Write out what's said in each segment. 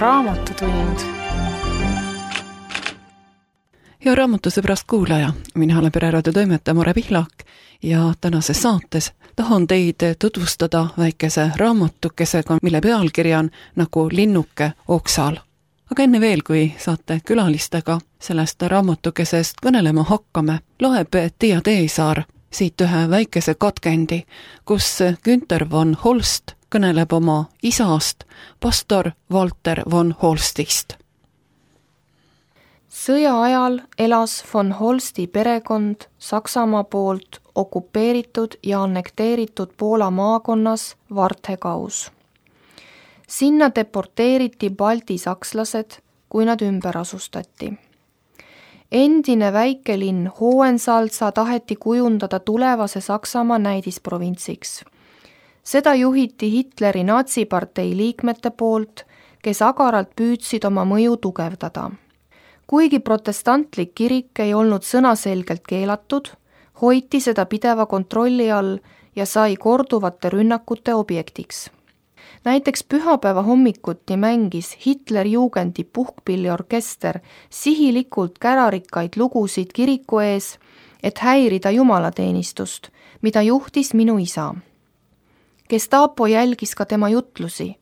Raamatutund. Hea raamatusõbrast kuulaja, mina olen Pereraadio toimetaja Mare Pihlak ja tänases saates tahan teid tutvustada väikese raamatukesega, mille pealkiri on nagu linnuke oksal. Aga enne veel, kui saate külalistega sellest raamatukesest kõnelema hakkame, loeb Tiia Teesaar siit ühe väikese katkendi, kus Günther von Holst kõneleb oma isast, pastor Walter von Holstist. Sõja ajal elas von Holsti perekond Saksamaa poolt okupeeritud ja annekteeritud Poola maakonnas Varthegau's. Sinna deporteeriti balti sakslased, kui nad ümber asustati. Endine väikelinn Hohensalza taheti kujundada tulevase Saksamaa näidisprovintsiks. Seda juhiti Hitleri natsipartei liikmete poolt, kes agaralt püüdsid oma mõju tugevdada. Kuigi protestantlik kirik ei olnud sõnaselgelt keelatud, hoiti seda pideva kontrolli all ja sai korduvate rünnakute objektiks. Näiteks pühapäeva hommikuti mängis Hitlerjugendi puhkpilliorkester sihilikult kärarikkaid lugusid kiriku ees, et häirida jumalateenistust, mida juhtis minu isa. Gestapo jälgis ka tema jutlusi.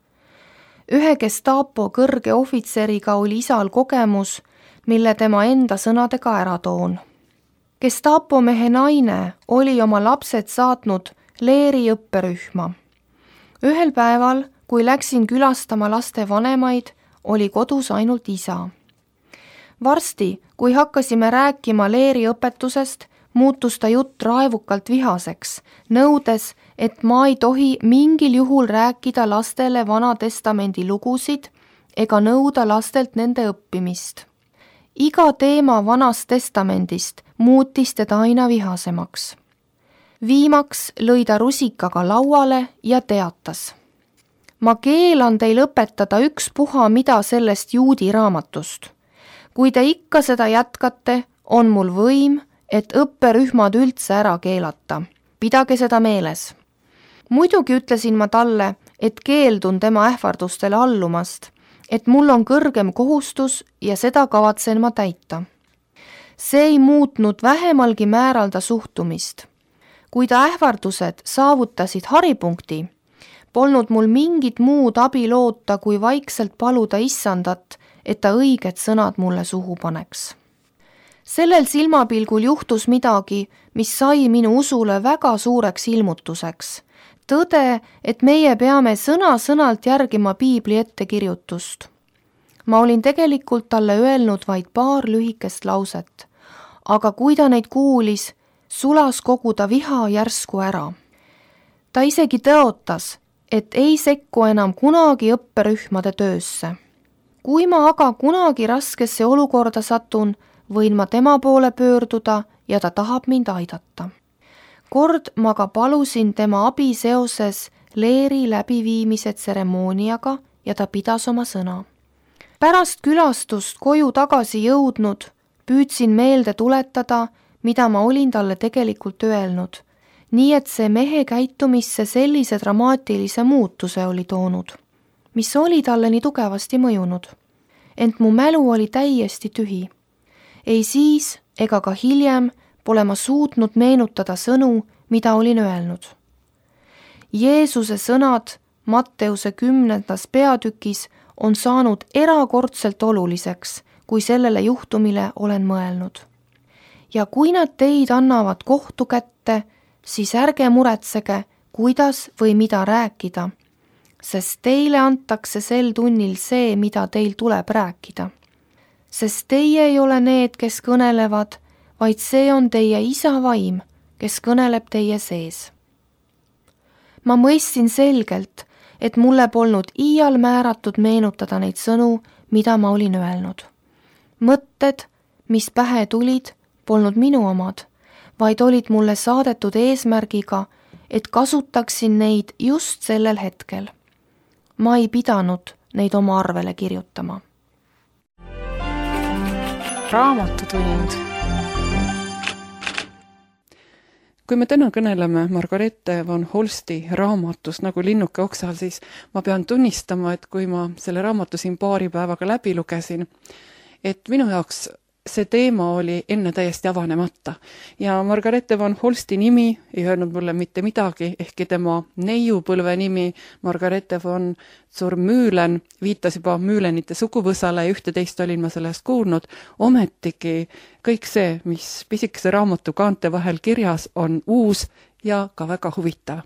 Ühe Gestapo kõrge ohvitseriga oli isal kogemus, mille tema enda sõnadega ära toon. Gestapo mehe naine oli oma lapsed saatnud Leeri õpperühma. Ühel päeval, kui läksin külastama laste vanemaid, oli kodus ainult isa. Varsti, kui hakkasime rääkima Leeri õpetusest, muutus ta jutt raevukalt vihaseks, nõudes, et ma ei tohi mingil juhul rääkida lastele Vanatestamendi lugusid ega nõuda lastelt nende õppimist. Iga teema Vanast Testamendist muutis teda aina vihasemaks. Viimaks lõi ta rusikaga lauale ja teatas. Ma keelan teil õpetada ükspuha mida sellest juudi raamatust. Kui te ikka seda jätkate, on mul võim, et õpperühmad üldse ära keelata. Pidage seda meeles. Muidugi ütlesin ma talle, et keeldun tema ähvardustele allumast, et mul on kõrgem kohustus ja seda kavatsen ma täita. See ei muutnud vähemalgi määralda suhtumist. Kui ta ähvardused saavutasid haripunkti, polnud mul mingit muud abi loota, kui vaikselt paluda issandat, et ta õiged sõnad mulle suhu paneks. Sellel silmapilgul juhtus midagi, mis sai minu usule väga suureks ilmutuseks. Tõde, et meie peame sõna-sõnalt järgima piibli ettekirjutust. Ma olin tegelikult talle öelnud vaid paar lühikest lauset, aga kui ta neid kuulis, sulas kogu ta viha järsku ära. Ta isegi tõotas, et ei sekku enam kunagi õpperühmade töösse. Kui ma aga kunagi raskesse olukorda satun, võin ma tema poole pöörduda ja ta tahab mind aidata. Kord ma ka palusin tema abi seoses Leeri läbiviimise tseremooniaga ja ta pidas oma sõna. Pärast külastust koju tagasi jõudnud, püüdsin meelde tuletada, mida ma olin talle tegelikult öelnud, nii et see mehe käitumisse sellise dramaatilise muutuse oli toonud, mis oli talle nii tugevasti mõjunud. Ent mu mälu oli täiesti tühi. Ei siis ega ka hiljem pole ma suutnud meenutada sõnu, mida olin öelnud. Jeesuse sõnad Matteuse 10. peatükis on saanud erakordselt oluliseks, kui sellele juhtumile olen mõelnud. Ja kui nad teid annavad kohtu kätte, siis ärge muretsege, kuidas või mida rääkida, sest teile antakse sel tunnil see, mida teil tuleb rääkida. Sest teie ei ole need, kes kõnelevad, vaid see on teie isa vaim, kes kõneleb teie sees. Ma mõistsin selgelt, et mulle polnud iial määratud meenutada neid sõnu, mida ma olin öelnud. Mõtted, mis pähe tulid, polnud minu omad, vaid olid mulle saadetud eesmärgiga, et kasutaksin neid just sellel hetkel. Ma ei pidanud neid oma arvele kirjutama. Raamatutund. Kui me täna kõneleme Margarethe von Holsti raamatust nagu Linnuke oksal, siis ma pean tunnistama, et kui ma selle raamatu siin paari päevaga läbi lugesin, et minu jaoks see teema oli enne täiesti avanemata. Ja Margarethe von Holsti nimi ei öelnud mulle mitte midagi, ehkki tema neiupõlve nimi Margarethe von Zurmühlen viitas juba Mühlenite suguvõsale ja ühte-teist olin ma sellest kuulnud. Ometigi kõik see, mis pisikese raamatu kaante vahel kirjas, on uus ja ka väga huvitav.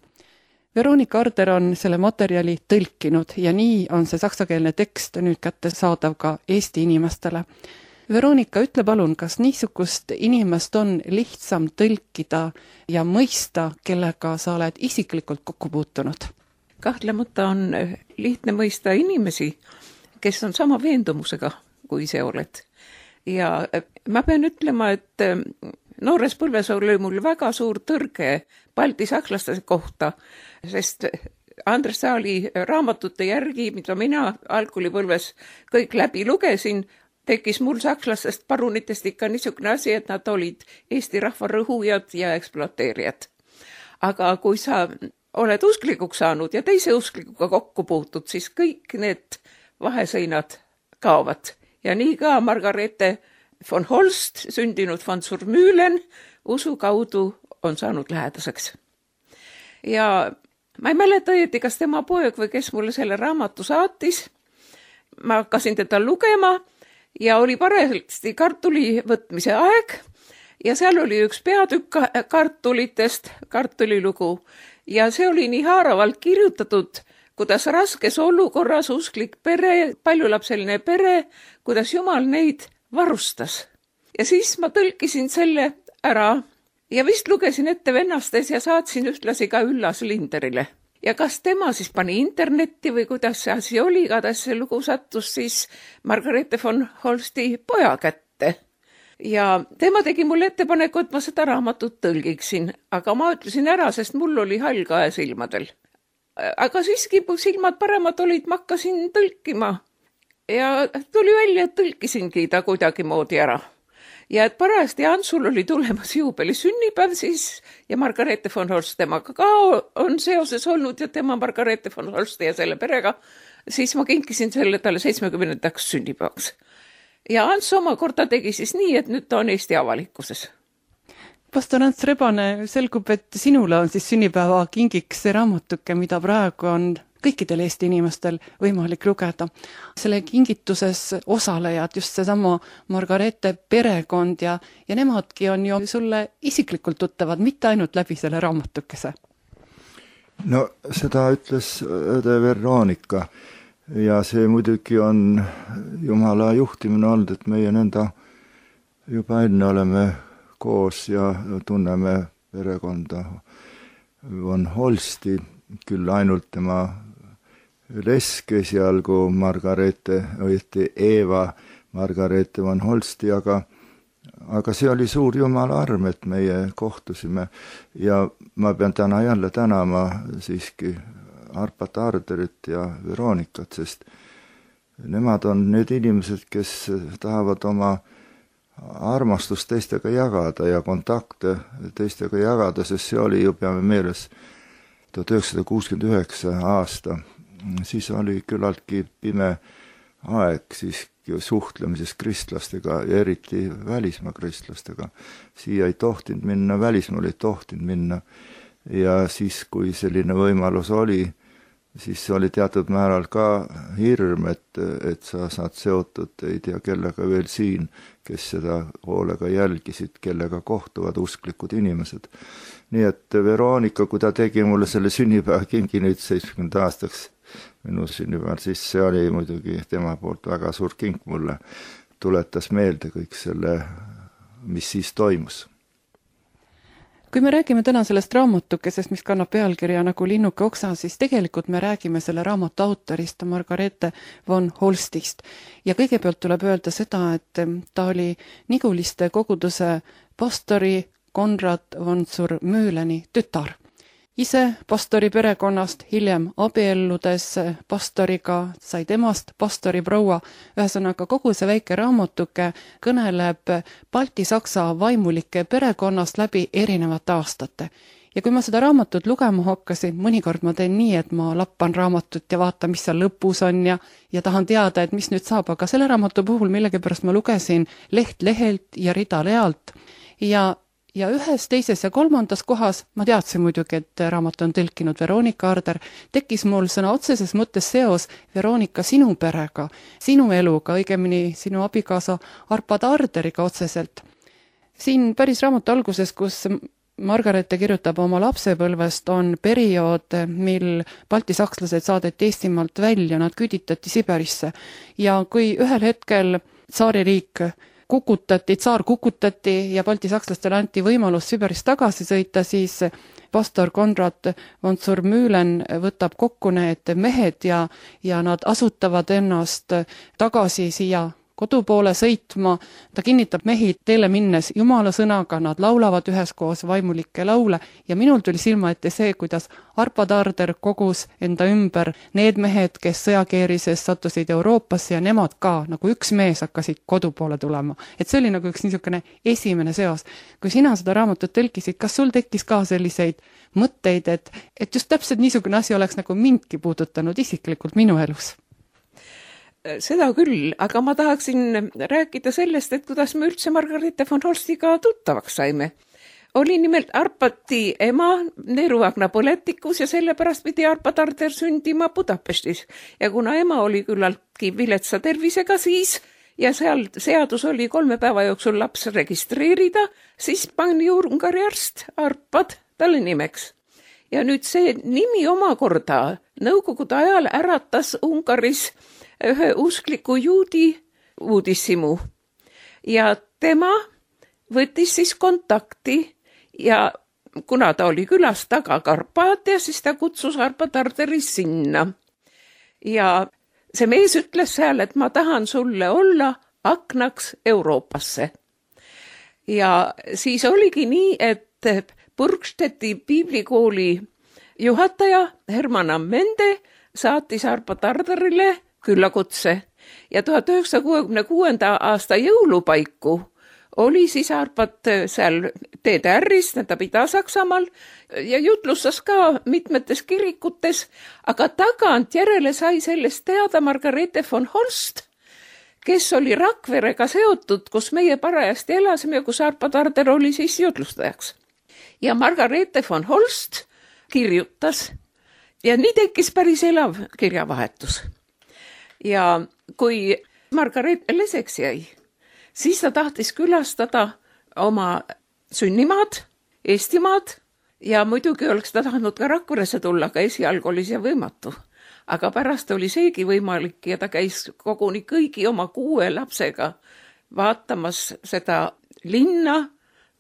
Veronika Arder on selle materjali tõlkinud ja nii on see saksakeelne tekst nüüd kättesaadav ka Eesti inimestele. Veronika, ütle palun, kas niisugust inimest on lihtsam tõlkida ja mõista, kellega sa oled isiklikult kokku puutunud? Kahtlemata on lihtne mõista inimesi, kes on sama veendumusega, kui see oled. Ja ma pean ütlema, et noores põlves oli mul väga suur tõrge Balti sakslaste kohta, sest Andres Saali raamatute järgi, mida mina algkoolipõlves kõik läbi lugesin, tekkis mul sakslastest parunitest ikka niisugune asi, et nad olid Eesti rahva rõhujad ja ekspluateerijad. Aga kui sa oled usklikuks saanud ja teise usklikuga kokku puutud, siis kõik need vahesõinad kaovad. Ja nii ka Margarethe von Holst, sündinud von Zurmühlen, usu kaudu on saanud lähedaseks. Ja ma ei mäleta õieti, kas tema poeg või kes mulle selle raamatu saatis. Ma hakkasin teda lugema ja oli parajasti kartuli võtmise aeg ja seal oli üks peatükk kartulitest, kartulilugu ja see oli nii haaravalt kirjutatud, kuidas raskes olukorras usklik pere, paljulapseline pere, kuidas Jumal neid varustas. Ja siis ma tõlkisin selle ära ja vist lugesin ette vennastes ja saatsin ühtlasi ka Üllas Linderile. Ja kas tema siis pani internetti või kuidas see asi oli, igatahes see lugu sattus siis Margarethe von Holsti poja kätte. Ja tema tegi mulle ettepaneku, et ma seda raamatut tõlgiksin, aga ma ütlesin ära, sest mul oli hall kae silmadel. Aga siiski silmad paremad olid, ma hakkasin tõlkima ja tuli välja, et tõlkisingi ta kuidagi moodi ära. Ja et parajasti Antsul oli tulemas juubeli sünnipäev siis ja Margarethe von Holst temaga ka on seoses olnud ja tema Margarethe von Holsti ja selle perega, siis ma kinkisin selle talle 70. sünnipäevaks. Ja Ants omakorda tegi siis nii, et nüüd ta on Eesti avalikkuses. Pastor Ants Rebane, selgub, et sinule on siis sünnipäeva kingiks see raamatuke, mida praegu on kõikidel Eesti inimestel võimalik lugeda. Selle kingituses osalejad, just seesama Margarethe perekond ja nemadki on ju sulle isiklikult tuttavad, mitte ainult läbi selle raamatukese. No seda ütles õde Veronika ja see muidugi on Jumala juhtimine olnud, et meie nõnda juba enne oleme koos ja tunneme perekonda von Holsti, küll ainult tema leske seal, kui Margarethe, õieti Eva Margarethe von Holsti, aga see oli suur Jumala arm, et meie kohtusime ja ma pean täna jälle tänama siiski Arpat Arderit ja Veronikat, sest nemad on need inimesed, kes tahavad oma armastust teistega jagada ja kontakte teistega jagada, sest see oli ju, peame meeles, 1969 aasta. Siis oli küllaltki pime aeg siis suhtlemises kristlastega ja eriti välismaa kristlastega. Siia ei tohtinud minna, välismaal ei tohtinud minna ja siis, kui selline võimalus oli, siis oli teatud määral ka hirm, et sa saad seotud, ei tea kellega veel siin, kes seda hoolega jälgisid, kellega kohtuvad usklikud inimesed. Nii et Veronika, kui ta tegi mulle selle sünnipäeva kingi nüüd 70 aastaks minu sünnipäeval, siis see oli muidugi tema poolt väga suur kink mulle. Tuletas meelde kõik selle, mis siis toimus. Kui me räägime täna sellest raamatukesest, mis kannab pealkirja nagu Linnuke oksal, siis tegelikult me räägime selle raamatu autorist Margarethe von Holstist. Ja kõigepealt tuleb öelda seda, et ta oli Niguliste koguduse pastori Konrad von Zurmühleni tütar. ise pastori perekonnast, hiljem abielludes pastoriga sai temast pastori proua. Ühesõnaga, kogu see väike raamatuke kõneleb Balti-Saksa vaimulike perekonnast läbi erinevate aastate. Ja kui ma seda raamatut lugema hakkasin, mõnikord ma teen nii, et ma lappan raamatut ja vaatan, mis seal lõpus on ja tahan teada, et mis nüüd saab, aga selle raamatu puhul millegipärast ma lugesin leht lehelt ja rida realt ja ühes, teises ja kolmandas kohas, ma teadsin muidugi, et raamat on tõlkinud Veronika Arder, tekkis mul sõna otseses mõttes seos Veronika sinu perega, sinu eluga, õigemini sinu abikaasa Arpad Arderiga otseselt. Siin päris raamatu alguses, kus Margarete kirjutab oma lapsepõlvest, on periood, mil baltisakslased saadeti Eestimaalt välja, nad küüditati Siberisse. Ja kui ühel hetkel tsaaririik tsaar kukutati ja baltisakslastele anti võimalus Siberist tagasi sõita, siis pastor Konrad von Zurmühlen võtab kokku need mehed ja nad asutavad ennast tagasi siia kodupoole sõitma. Ta kinnitab mehi teele minnes Jumala sõnaga, nad laulavad üheskoos vaimulikke laule ja minul tuli silma ette see, kuidas Arpad Arder kogus enda ümber need mehed, kes sõjakeerises sattusid Euroopasse ja nemad ka, nagu üks mees hakkasid kodupoole tulema. Et see oli nagu üks niisugune esimene seos. Kui sina seda raamatut tõlkisid, kas sul tekkis ka selliseid mõtteid, et just täpselt niisugune asi oleks nagu mindki puudutanud isiklikult minu elus? Seda küll, aga ma tahaksin rääkida sellest, et kuidas me üldse Margarete von Holstiga tuttavaks saime. Oli nimelt Arpati ema neeruakna põletikus ja sellepärast pidi Arpad Arder sündima Budapestis. Ja kuna ema oli küllaltki viletsa tervisega siis ja seal seadus oli 3 päeva jooksul laps registreerida, siis pani Ungari arst Arpad talle nimeks. Ja nüüd see nimi omakorda nõukogude ajal äratas Ungaris ühe uskliku juudi uudishimu ja tema võttis siis kontakti ja kuna ta oli külas taga Karpaatia, siis ta kutsus Arpad Arderi sinna. Ja see mees ütles seal, et ma tahan sulle olla aknaks Euroopasse. Ja siis oligi nii, et Burgstedti piiblikooli juhataja Herman Ammende saatis Arpad Arderile küllakutse ja 1966. aasta jõulupaiku oli siis Arpad seal TDR-is, ta Ida-Saksamaal ja jutlustas ka mitmetes kirikutes, aga tagantjärele sai sellest teada Margarete von Holst, kes oli Rakverega seotud, kus meie parajasti elasime ja kus Arpad Arder oli siis jutlustajaks. Ja Margarete von Holst kirjutas ja nii tekkis päris elav kirjavahetus. Ja kui Margarete leseks jäi, siis ta tahtis külastada oma sünnimaad, Eestimaad ja muidugi oleks ta tahtnud ka Rakveresse tulla, aga esialgu oli see võimatu. Aga pärast oli seegi võimalik ja ta käis koguni kõigi oma 6 lapsega vaatamas seda linna,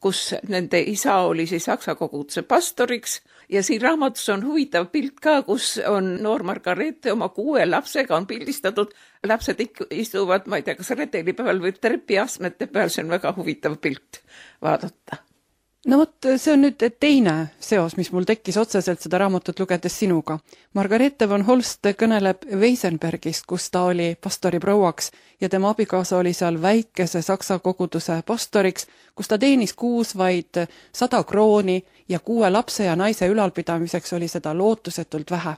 kus nende isa oli siis Saksa koguduse pastoriks ja siin raamatus on huvitav pilt ka, kus on noor Margarete oma 6 lapsega on pildistatud. Lapsed istuvad, ma ei tea, kas redeli peal või trepiastmete peal, see on väga huvitav pilt vaadata. No vot, see on nüüd teine seos, mis mul tekkis otseselt seda raamatut lugedes sinuga. Margarete von Holst kõneleb Weisenbergist, kus ta oli pastori prouaks ja tema abikaasa oli seal väikese Saksa koguduse pastoriks, kus ta teenis kuus vaid 100 krooni ja 6 lapse ja naise ülalpidamiseks oli seda lootusetult vähe.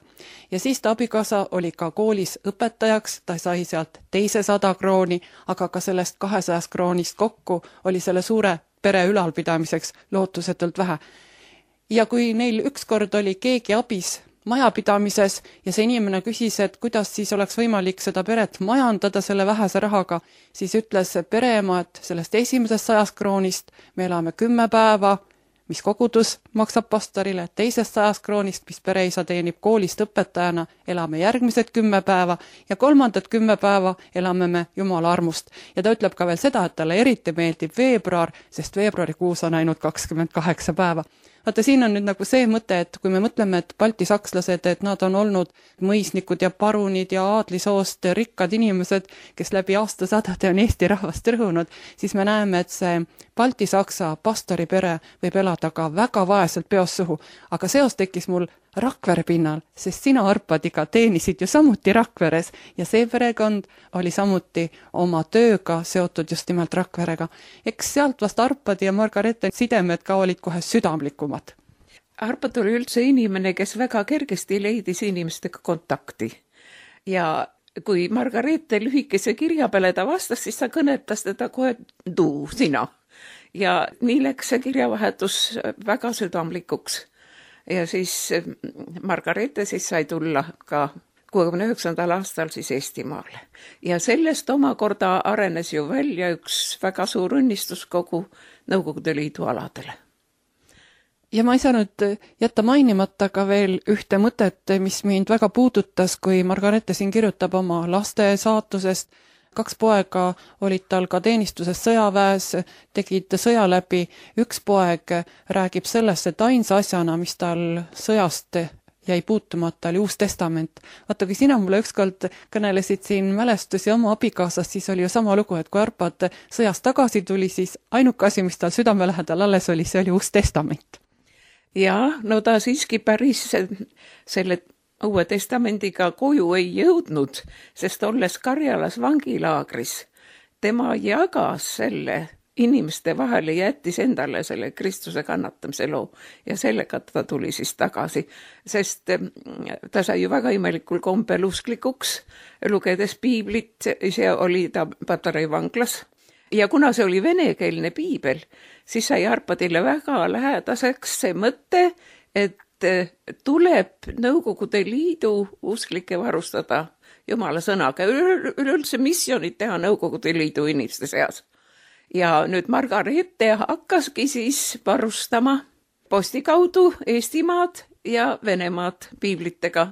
Ja siis ta abikaasa oli ka koolis õpetajaks, ta sai sealt teise 100 krooni, aga ka sellest 200 kroonist kokku oli selle suure pere ülalpidamiseks lootusetult vähe. Ja kui neil ükskord oli keegi abis majapidamises ja see inimene küsis, et kuidas siis oleks võimalik seda peret majandada selle vähese rahaga, siis ütles pereema, et sellest esimesest 100 kroonist me elame 10 päeva, mis kogudus maksab pastorile, teisest 100 kroonist, mis pereisa teenib koolist õpetajana, elame järgmised 10 päeva ja kolmandat 10 päeva elame me Jumala armust. Ja ta ütleb ka veel seda, et talle eriti meeldib veebruar, sest veebruarikuus on ainult 28 päeva. vaata, siin on nüüd nagu see mõte, et kui me mõtleme, et baltisakslased, et nad on olnud mõisnikud ja parunid ja aadlisoost rikkad inimesed, kes läbi aastasadade on Eesti rahvast rõhunud, siis me näeme, et see baltisaksa pastoripere võib elada ka väga vaeselt peost suhu. Aga seos tekkis mul Rakvere pinnal, sest sina, Arpadiga, teenisid ju samuti Rakveres ja see perekond oli samuti oma tööga seotud just nimelt Rakverega. Eks sealt vast Arpadi ja Margarete sidemed ka olid kohe südamlikumad. Arpad oli üldse inimene, kes väga kergesti leidis inimestega kontakti. Ja kui Margarete lühikese kirja peale ta vastas, siis ta kõnetas teda kohe sina. Ja nii läks see kirjavahetus väga südamlikuks. Ja siis Margarete siis sai tulla ka 69. aastal siis Eestimaale. Ja sellest omakorda arenes ju välja üks väga suur õnnistus kogu Nõukogude Liidu aladele. Ja ma ei saanud jätta mainimata ka veel ühte mõtet, mis mind väga puudutas, kui Margarete siin kirjutab oma laste saatusest. 2 poega olid tal ka teenistuses sõjaväes, tegid sõja läbi. Üks poeg räägib sellest, et ainsa asjana, mis tal sõjast jäi puutumata, oli Uus Testament. Vaata, kui sina mulle ükskord kõnelesid siin mälestusi oma abikaasast, siis oli ju sama lugu, et kui Arpad sõjast tagasi tuli, siis ainuke asi, mis tal südame lähedal alles oli, see oli Uus Testament. Ja, no ta siiski päris selle Uue Testamendiga koju ei jõudnud, sest olles Karjalas vangilaagris, tema jagas selle inimeste vahele, jättis endale selle Kristuse kannatamise loo ja sellega ta tuli siis tagasi, sest ta sai ju väga imelikul kombel usklikuks, lugedes piiblit, ise oli ta Patarei vanglas ja kuna see oli venekeelne piibel, siis sai Arpadile väga lähedaseks see mõte, et tuleb Nõukogude Liidu usklikke varustada Jumala sõnaga, üleüldse missioonid teha Nõukogude Liidu inimeste seas. Ja nüüd Margarete hakkaski siis varustama posti kaudu Eestimaad ja Venemaad piiblitega.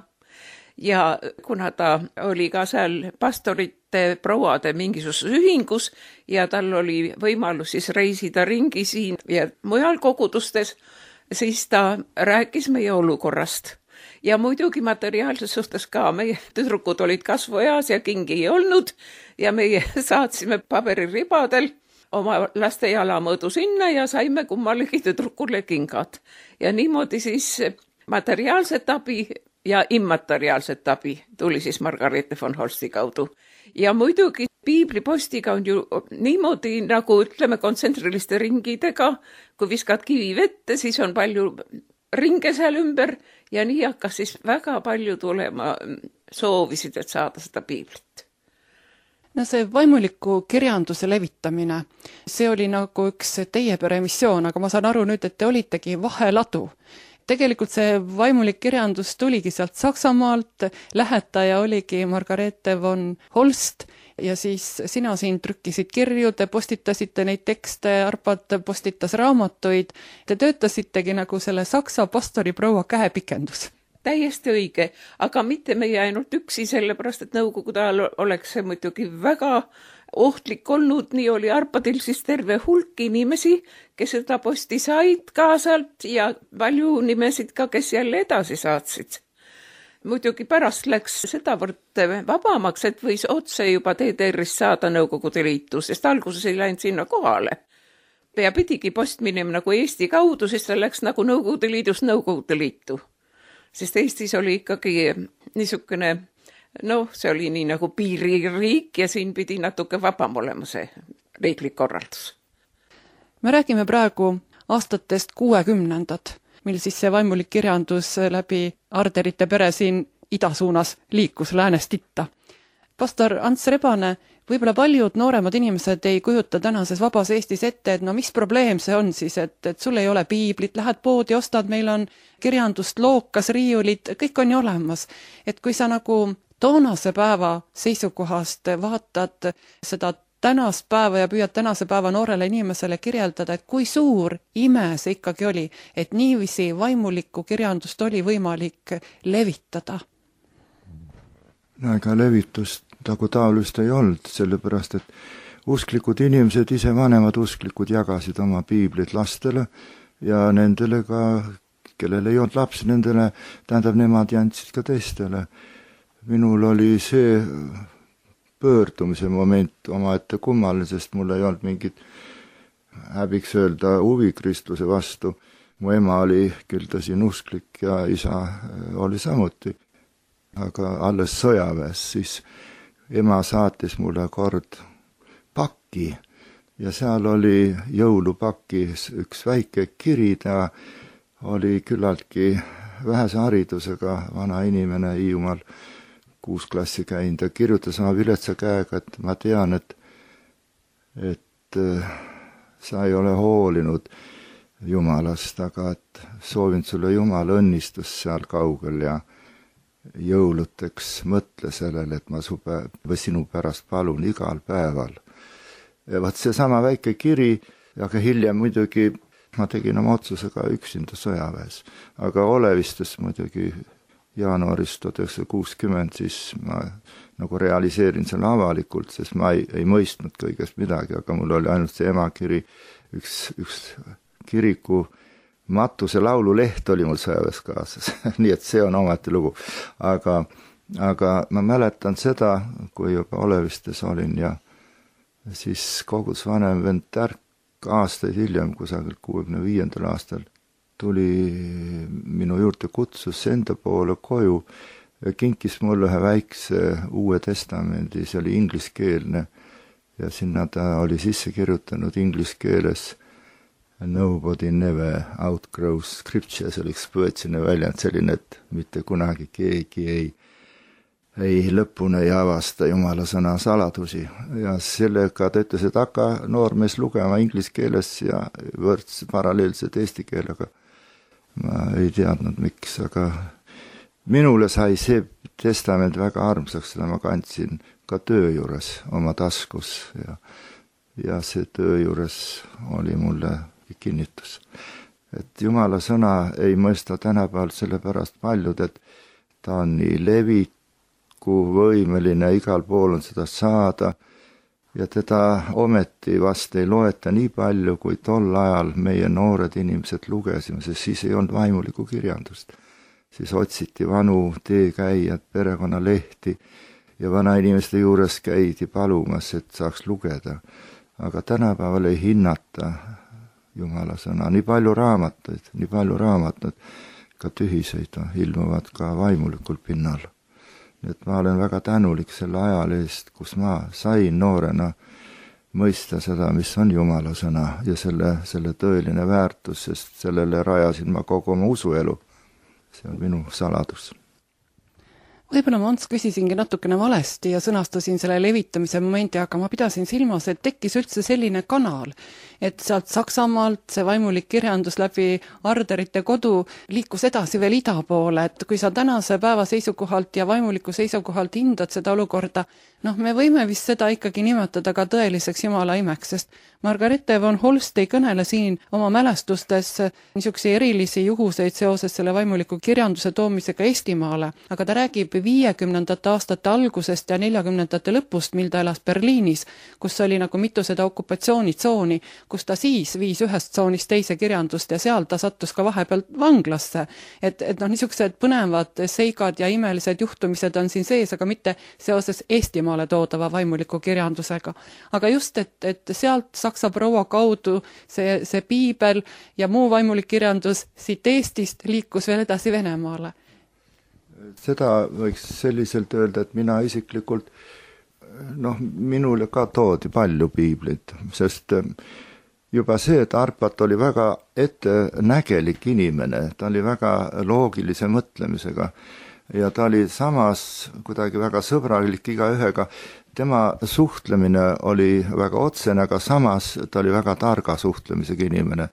Ja kuna ta oli ka seal pastorite prouade mingisuguses ühingus ja tal oli võimalus siis reisida ringi siin ja mujal kogudustes, siis ta rääkis meie olukorrast. Ja muidugi materiaalses suhtes ka, meie tüdrukud olid kasvueas ja kingi ei olnud ja meie saatsime paberiribadel oma laste jalamõõdu sinna ja saime kummalegi tüdrukule kingad. Ja niimoodi siis materiaalset abi ja immateriaalset abi tuli siis Margarete von Holsti kaudu. Ja muidugi piiblipostiga on ju niimoodi nagu ütleme kontsentriliste ringidega, kui viskad kivi vette, siis on palju ringe seal ümber ja nii hakkas siis väga palju tulema soovisid, et saada seda piiblit. No see vaimuliku kirjanduse levitamine, see oli nagu üks teie pere missioon, aga ma saan aru nüüd, et te olitegi vaheladu. Tegelikult see vaimulik kirjandus tuligi sealt Saksamaalt, lähetaja oligi Margarete von Holst ja siis sina siin trükkisid kirju, te postitasite neid tekste, Arpad postitas raamatuid, te töötasitegi nagu selle saksa pastori proua käepikendus. Täiesti õige, aga mitte meie ainult üksi, sellepärast, et Nõukogude ajal oleks see muidugi väga ohtlik olnud, nii oli Arpadil siis terve hulk inimesi, kes seda posti said kaasalt ja palju nimesid ka, kes jälle edasi saatsid. Muidugi pärast läks sedavõrd vabamaks, et võis otse juba DDR-ist saada Nõukogude Liitu, sest alguses ei läinud sinna kohale. Ja pidigi post minema nagu Eesti kaudu, sest ta läks nagu Nõukogude Liidust Nõukogude Liitu. Sest Eestis oli ikkagi niisugune, see oli nii nagu piiririik ja siin pidi natuke vabam olema see riiklik korraldus. Me räägime praegu aastatest 60-ndad, mil siis see vaimulik kirjandus läbi Arderite pere siin idasuunas liikus läänest itta. Pastor Ants Rebane, võib-olla paljud nooremad inimesed ei kujuta tänases vabas Eestis ette, et mis probleem see on siis, et sul ei ole piiblit, lähed poodi, ostad, meil on kirjandust, lookas, riiulid, kõik on ju olemas. Et kui sa nagu toonase päeva seisukohast vaatad seda tänast päeva ja püüad tänase päeva noorele inimesele kirjeldada, et kui suur ime see ikkagi oli, et niiviisi vaimulikku kirjandust oli võimalik levitada. No ega levitust nagu taolust ei olnud, sellepärast et usklikud inimesed, ise vanemad usklikud jagasid oma piiblit lastele ja nendele ka, kellel ei olnud lapsi, nendele, tähendab, nemad andsid ka teistele. Minul oli see pöördumise moment omaette kummaline, sest mul ei olnud mingit, häbiks öelda, huvi kristluse vastu. Mu ema oli küll tõsi usklik ja isa oli samuti. Aga alles sõjaväes, siis ema saatis mulle kord pakki ja seal oli jõulupakis üks väike kiri, ta oli küllaltki vähese haridusega vana inimene Hiiumaal 6 klassi käinud ja kirjutas oma viletsa käega, et ma tean, et sa ei ole hoolinud Jumalast, aga et soovin sulle Jumala õnnistus seal kaugel ja jõuluteks mõtle sellele, et ma sinu pärast palun igal päeval. Ja vaat see sama väike kiri, aga hiljem muidugi ma tegin oma otsusega üksinda sõjaväes. Aga Olevistes muidugi jaanuaris 1960, siis ma nagu realiseerin selle avalikult, sest ma ei mõistnud kõigest midagi, aga mul oli ainult see emakiri, üks kiriku Matuse laululeht oli mul sõjaväes kaasas, nii et see on ometi lugu. Aga ma mäletan seda, kui juba Olevistes olin ja siis kogus vanem vend Tärk aastaid hiljem, kusagil 65. aastal, tuli minu juurde, kutsus enda poole koju ja kinkis mulle ühe väikse Uue Testamendi, see oli ingliskeelne ja sinna ta oli sisse kirjutanud inglise keeles Nobody never outgrows scripture, see oli üks põetsine väljend selline, et mitte kunagi keegi ei lõpuni ei avasta Jumala sõna saladusi. Ja sellega ta ütles, et hakka noormees lugema inglise keeles ja võrdse paralleelselt eesti keelega. Ma ei teadnud miks, aga minule sai see testament väga armsaks, seda ma kandsin ka töö juures oma taskus ja see töö juures oli mulle kinnitus. Et Jumala sõna ei mõista tänapäeval sellepärast paljud, et ta on nii levikuvõimeline, igal pool on seda saada ja teda ometi vast ei loeta nii palju, kui tol ajal meie noored inimesed lugesime, sest siis ei olnud vaimulikku kirjandust. Siis otsiti vanu teekäijad, perekonnalehti ja vanainimeste juures käidi palumas, et saaks lugeda. Aga tänapäeval ei hinnata Jumala sõna. Nii palju raamatuid, ka tühiseid ilmuvad ka vaimulikul pinnal. Nii et ma olen väga tänulik selle ajal eest, kus ma sain noorena mõista seda, mis on Jumala sõna ja selle tõeline väärtus, sest sellele rajasin ma kogu oma usuelu. See on minu saladus. Võib-olla ma Ants küsisingi natukene valesti ja sõnastasin selle levitamise momendi, aga ma pidasin silmas, et tekkis üldse selline kanal, et sealt Saksamaalt see vaimulik kirjandus läbi Arderite kodu liikus edasi veel ida poole, et kui sa tänase päeva seisukohalt ja vaimuliku seisukohalt hindad seda olukorda, me võime vist seda ikkagi nimetada ka tõeliseks Jumala imeks, sest Margarete von Holst ei kõnele siin oma mälestustes niisuguseid erilisi juhuseid seoses selle vaimuliku kirjanduse toomisega Eestimaale, aga ta räägib 50. aastate algusest ja 40. lõpust, mil ta elas Berliinis, kus oli nagu mitu seda okupatsioonitsooni, kus ta siis viis ühest tsoonist teise kirjandust ja seal ta sattus ka vahepeal vanglasse. Et niisugused põnevad seigad ja imelised juhtumised on siin sees, aga mitte seoses Eestimaale toodava vaimuliku kirjandusega. Aga just, et sealt Saksa proua kaudu see piibel ja muu vaimulik kirjandus siit Eestist liikus veel edasi Venemaale. Seda võiks selliselt öelda, et mina isiklikult, minule ka toodi palju piiblit, sest juba see, et Arpat oli väga ettenägelik inimene, ta oli väga loogilise mõtlemisega ja ta oli samas kuidagi väga sõbralik igaühega. Tema suhtlemine oli väga otsene, aga samas ta oli väga targa suhtlemisega inimene.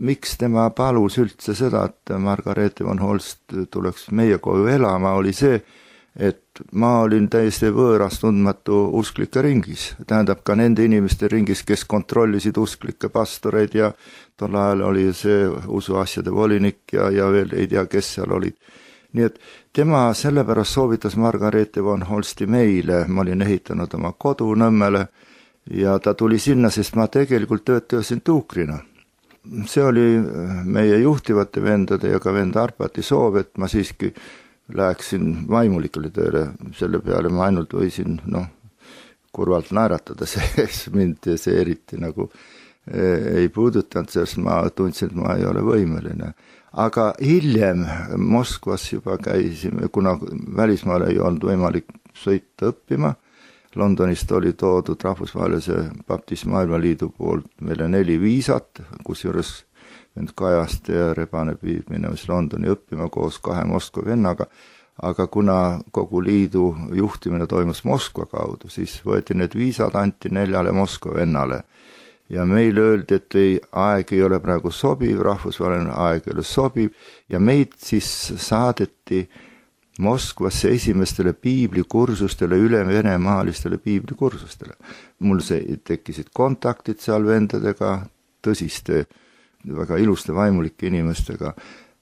Miks tema palus üldse seda, et Margarete von Holst tuleks meie koju elama, oli see, et ma olin täiesti võõras tundmatu usklike ringis. Tähendab ka nende inimeste ringis, kes kontrollisid usklikke pastoreid ja tol ajal oli see usuasjade volinik ja veel ei tea, kes seal olid. Nii et tema sellepärast soovitas Margarete von Holsti meile, ma olin ehitanud oma kodu Nõmmele ja ta tuli sinna, sest ma tegelikult töötasin tuukrina. see oli meie juhtivate vendade ja ka vend Arpati soov, et ma siiski läheksin vaimulikule tööle, selle peale ma ainult võisin kurvalt naeratada, mind see eriti nagu ei puudutanud, sest ma tundsin, et ma ei ole võimeline. Aga hiljem Moskvas juba käisime, kuna välismaale ei olnud võimalik sõita õppima, Londonist oli toodud rahvusvahelise Baptist Maailmaliidu poolt meile 4 viisat, kusjuures vend Kajaste ja Rebane pidid minemas Londoni õppima koos 2 Moskva vennaga, aga kuna kogu liidu juhtimine toimus Moskva kaudu, siis võeti need viisad, anti 4 Moskva vennale. Ja meile öeldi, et aeg ei ole praegu sobiv, rahvusvaheline aeg ei ole sobiv, ja meid siis saadeti Moskvasse esimestele piiblikursustele, üle venemaalistele piiblikursustele. Mul tekkisid kontaktid seal vendadega, tõsiste, väga iluste vaimulike inimestega.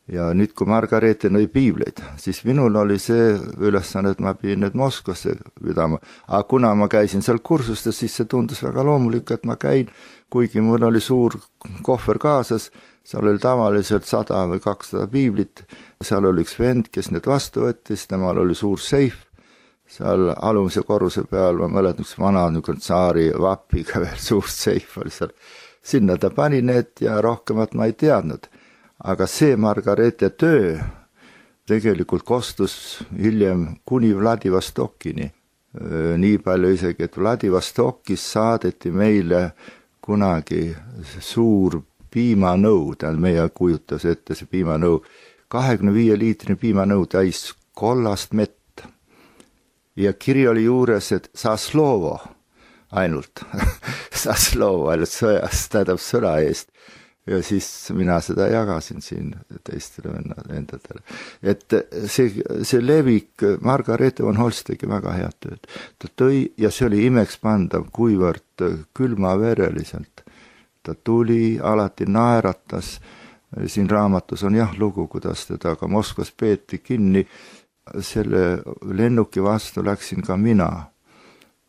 Ja nüüd, kui Margareete nõi piibleid, siis minul oli see ülesanne, et ma pidin need Moskvasse pidama. Aga kuna ma käisin seal kursustes, siis see tundus väga loomulik, et ma käin, kuigi mul oli suur kohver kaasas, seal oli tavaliselt 100 või 200 piiblit, seal oli üks vend, kes need vastu võttis, temal oli suur seif, seal alumise korruse peal, ma mäletan, üks vana tsaari vapiga veel suur seif oli seal. Sinna ta pani need ja rohkemat ma ei teadnud. Aga see Margareete töö tegelikult kostus hiljem kuni Vladivostokini. Nii palju isegi, et Vladivostokis saadeti meile kunagi suur piimanõu, meie kujutas ette see piimanõu, 25-liitrine piimanõu täis kollast mett. Ja kiri oli juures, et Saslovo ainult, Saslovo ainult sõjast, tähendab sõna eest. Ja siis mina seda jagasin siin teistele vendadele. Et see levik, Margareete von Holst tegi väga head tööd. Ta tõi, ja see oli imekspandav, kuivõrd külmavereliselt. Ta tuli, alati naeratas. Siin raamatus on lugu, kuidas teda ka Moskvas peeti kinni. Selle lennuki vastu läksin ka mina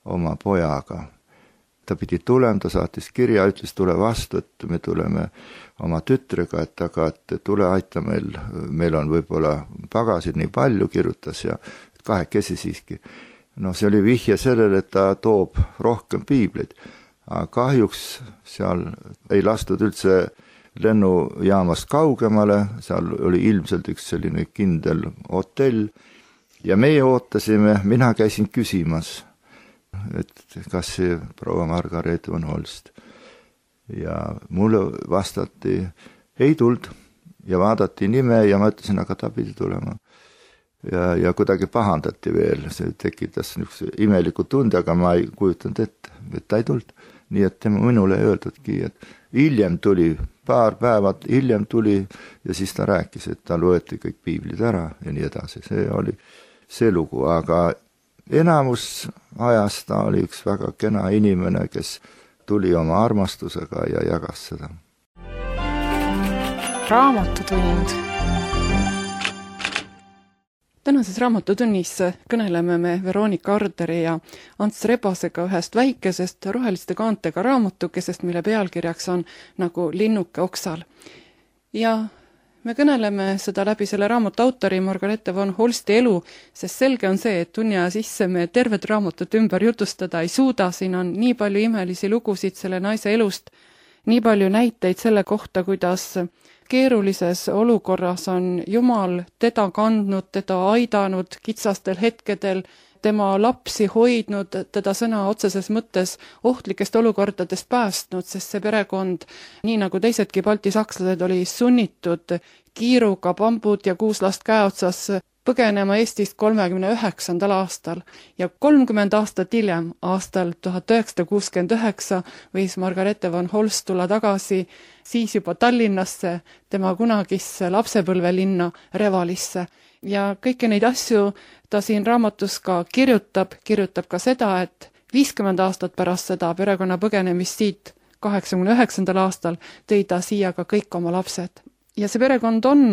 oma pojaga. Ta pidi tulema, ta saatis kirja, ütles tule vastu, et me tuleme oma tütrega, et tule aita meil on võib-olla pagasid nii palju, kirjutas ja 2 siiski. See oli vihje sellele, et ta toob rohkem piibleid. Aga kahjuks seal ei lastud üldse lennujaamast kaugemale, seal oli ilmselt üks selline kindel hotell ja meie ootasime, mina käisin küsimas, et kas see proua Margareete von Holst. Ja mulle vastati, ei tuld ja vaadati nime ja ma ütlesin, aga ta pidi tulema. Ja kuidagi pahandati veel, see tekitas niisuguse imeliku tunde, aga ma ei kujutanud ette, et ta ei tuld. Nii et tema minule ei öeldudki, et hiljem tuli, paar päevad hiljem tuli ja siis ta rääkis, et tal võeti kõik piiblid ära ja nii edasi. See oli see lugu, aga enamus ajast ta oli üks väga kena inimene, kes tuli oma armastusega ja jagas seda. Raamatutund. Tänases raamatutunnis kõneleme me Veronika Arderi ja Ants Rebasega ühest väikesest roheliste kaantega raamatukesest, mille pealkirjaks on nagu linnuke oksal. Ja me kõneleme seda läbi selle raamatu autori Margareete von Holsti elu, sest selge on see, et tunni aja sisse me tervet raamatut ümber jutustada ei suuda, siin on nii palju imelisi lugusid selle naise elust, nii palju näiteid selle kohta, kuidas keerulises olukorras on Jumal teda kandnud, teda aidanud kitsastel hetkedel, tema lapsi hoidnud, teda sõna otseses mõttes ohtlikest olukordadest päästnud, sest see perekond, nii nagu teisedki baltisakslased, oli sunnitud kiiruga bambud ja 6 last käeotsas põgenema Eestist 39. aastal ja 30 aastat hiljem, aastal 1969, võis Margareete von Holst tulla tagasi siis juba Tallinnasse, tema kunagisse lapsepõlvelinna Revalisse. Ja kõiki neid asju ta siin raamatus ka kirjutab ka seda, et 50 aastat pärast seda perekonna põgenemist siit 89. aastal tõi ta siia ka kõik oma lapsed. Ja see perekond on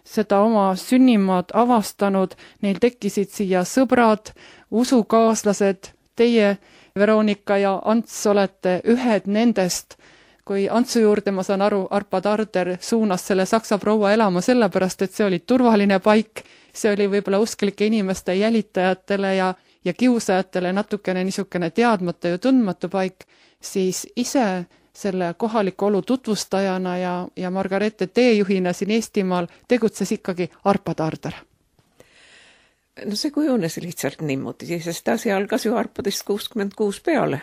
seda oma sünnimaad avastanud, neil tekkisid siia sõbrad, usukaaslased, teie, Veronika ja Ants, olete ühed nendest kui Antsu juurde, ma saan aru, Arpa Tarder suunas selle saksa proua elama sellepärast, et see oli turvaline paik, see oli võib-olla usklike inimeste jälitajatele ja kiusajatele natukene niisugune teadmata ja tundmatu paik, siis ise selle kohaliku olu tutvustajana ja Margareete teejuhina siin Eestimaal tegutses ikkagi Arpa Tarder. No see kujunes lihtsalt niimoodi, sest asi algas ju Arpadest 66 peale.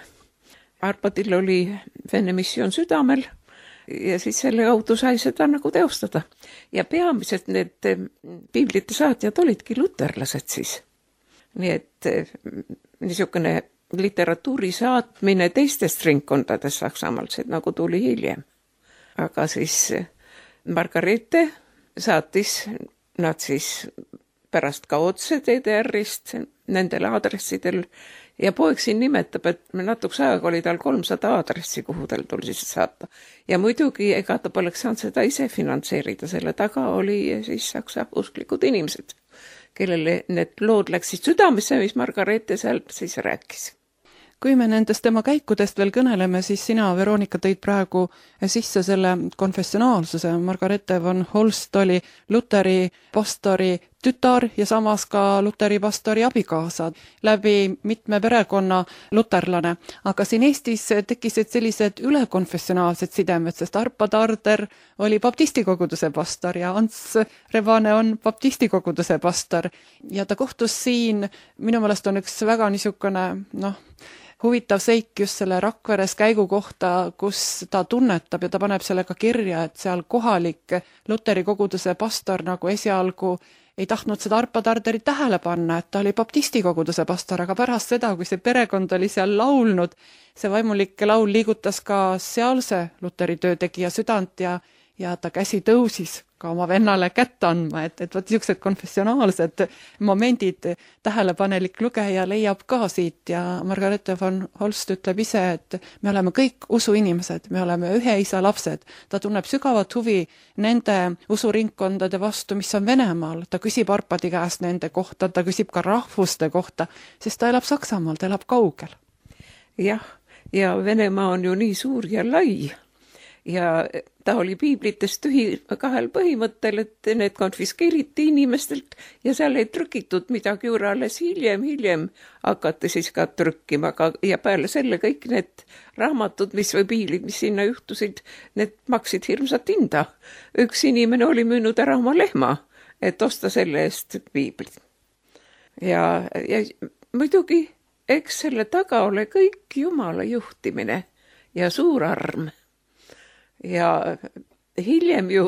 Arpadil oli Vene missioon südamel ja siis selle kaudu sai seda nagu teostada. Ja peamiselt need piiblite saatjad olidki luterlased siis. Nii et niisugune literatuuri saatmine teistest ringkondadest Saksamaalt, see nagu tuli hiljem. Aga siis Margareete saatis nad siis pärast ka otse DDR-ist nendel aadressidel ja poeg siin nimetab, et natuks aega oli tal 300 aadressi, kuhu tal tuli siis saata. Ja muidugi ega ta poleks saanud seda ise finantseerida, selle taga oli siis saksa usklikud inimesed, kellele need lood läksid südamesse, mis Margareete sealt siis rääkis. Kui me nendest tema käikudest veel kõneleme, siis sina, Veronika, tõid praegu sisse selle konfessionaalsuse. Margareete von Holst oli Luteri pastori tütar ja samas ka Luteri pastori abikaasa, läbi mitme perekonna luterlane. Aga siin Eestis tekkisid sellised ülekonfessionaalsed sidemed, sest Arpa Tarder oli baptistikoguduse pastor ja Ants Rebane on baptistikoguduse pastor. Ja ta kohtus siin, minu meelest on üks väga niisugune, huvitav seik just selle Rakveres käigu kohta, kus ta tunnetab ja ta paneb sellega kirja, et seal kohalik Luteri koguduse pastor nagu esialgu ei tahtnud seda Arpa Tarderit tähele panna, et ta oli baptistikoguduse pastor, aga pärast seda, kui see perekond oli seal laulnud, see vaimulik laul liigutas ka sealse Luteri töötegija südant ja ta käsi tõusis ka oma vennale kätt andma, et võt niisugused konfessionaalsed momendid tähelepanelik lugeja leiab ka siit ja Margareete von Holst ütleb ise, et me oleme kõik usuinimesed, me oleme ühe isa lapsed. Ta tunneb sügavat huvi nende usuringkondade vastu, mis on Venemaal. Ta küsib Arpadi käest nende kohta, ta küsib ka rahvuste kohta, sest ta elab Saksamaal, ta elab kaugel. Jah, ja Venemaa on ju nii suur ja lai. Ja ta oli piiblitest tühi kahel põhimõttel, et need konfiskeeriti inimestelt ja seal ei trükitud midagi juurde, alles hiljem hakati siis ka trükkima. Ja peale selle kõik need raamatud, või piiblid, mis sinna juhtusid, need maksid hirmsat hinda. Üks inimene oli müünud ära oma lehma, et osta selle eest piiblit. Ja muidugi, eks selle taga ole kõik Jumala juhtimine ja suur arm. Ja hiljem ju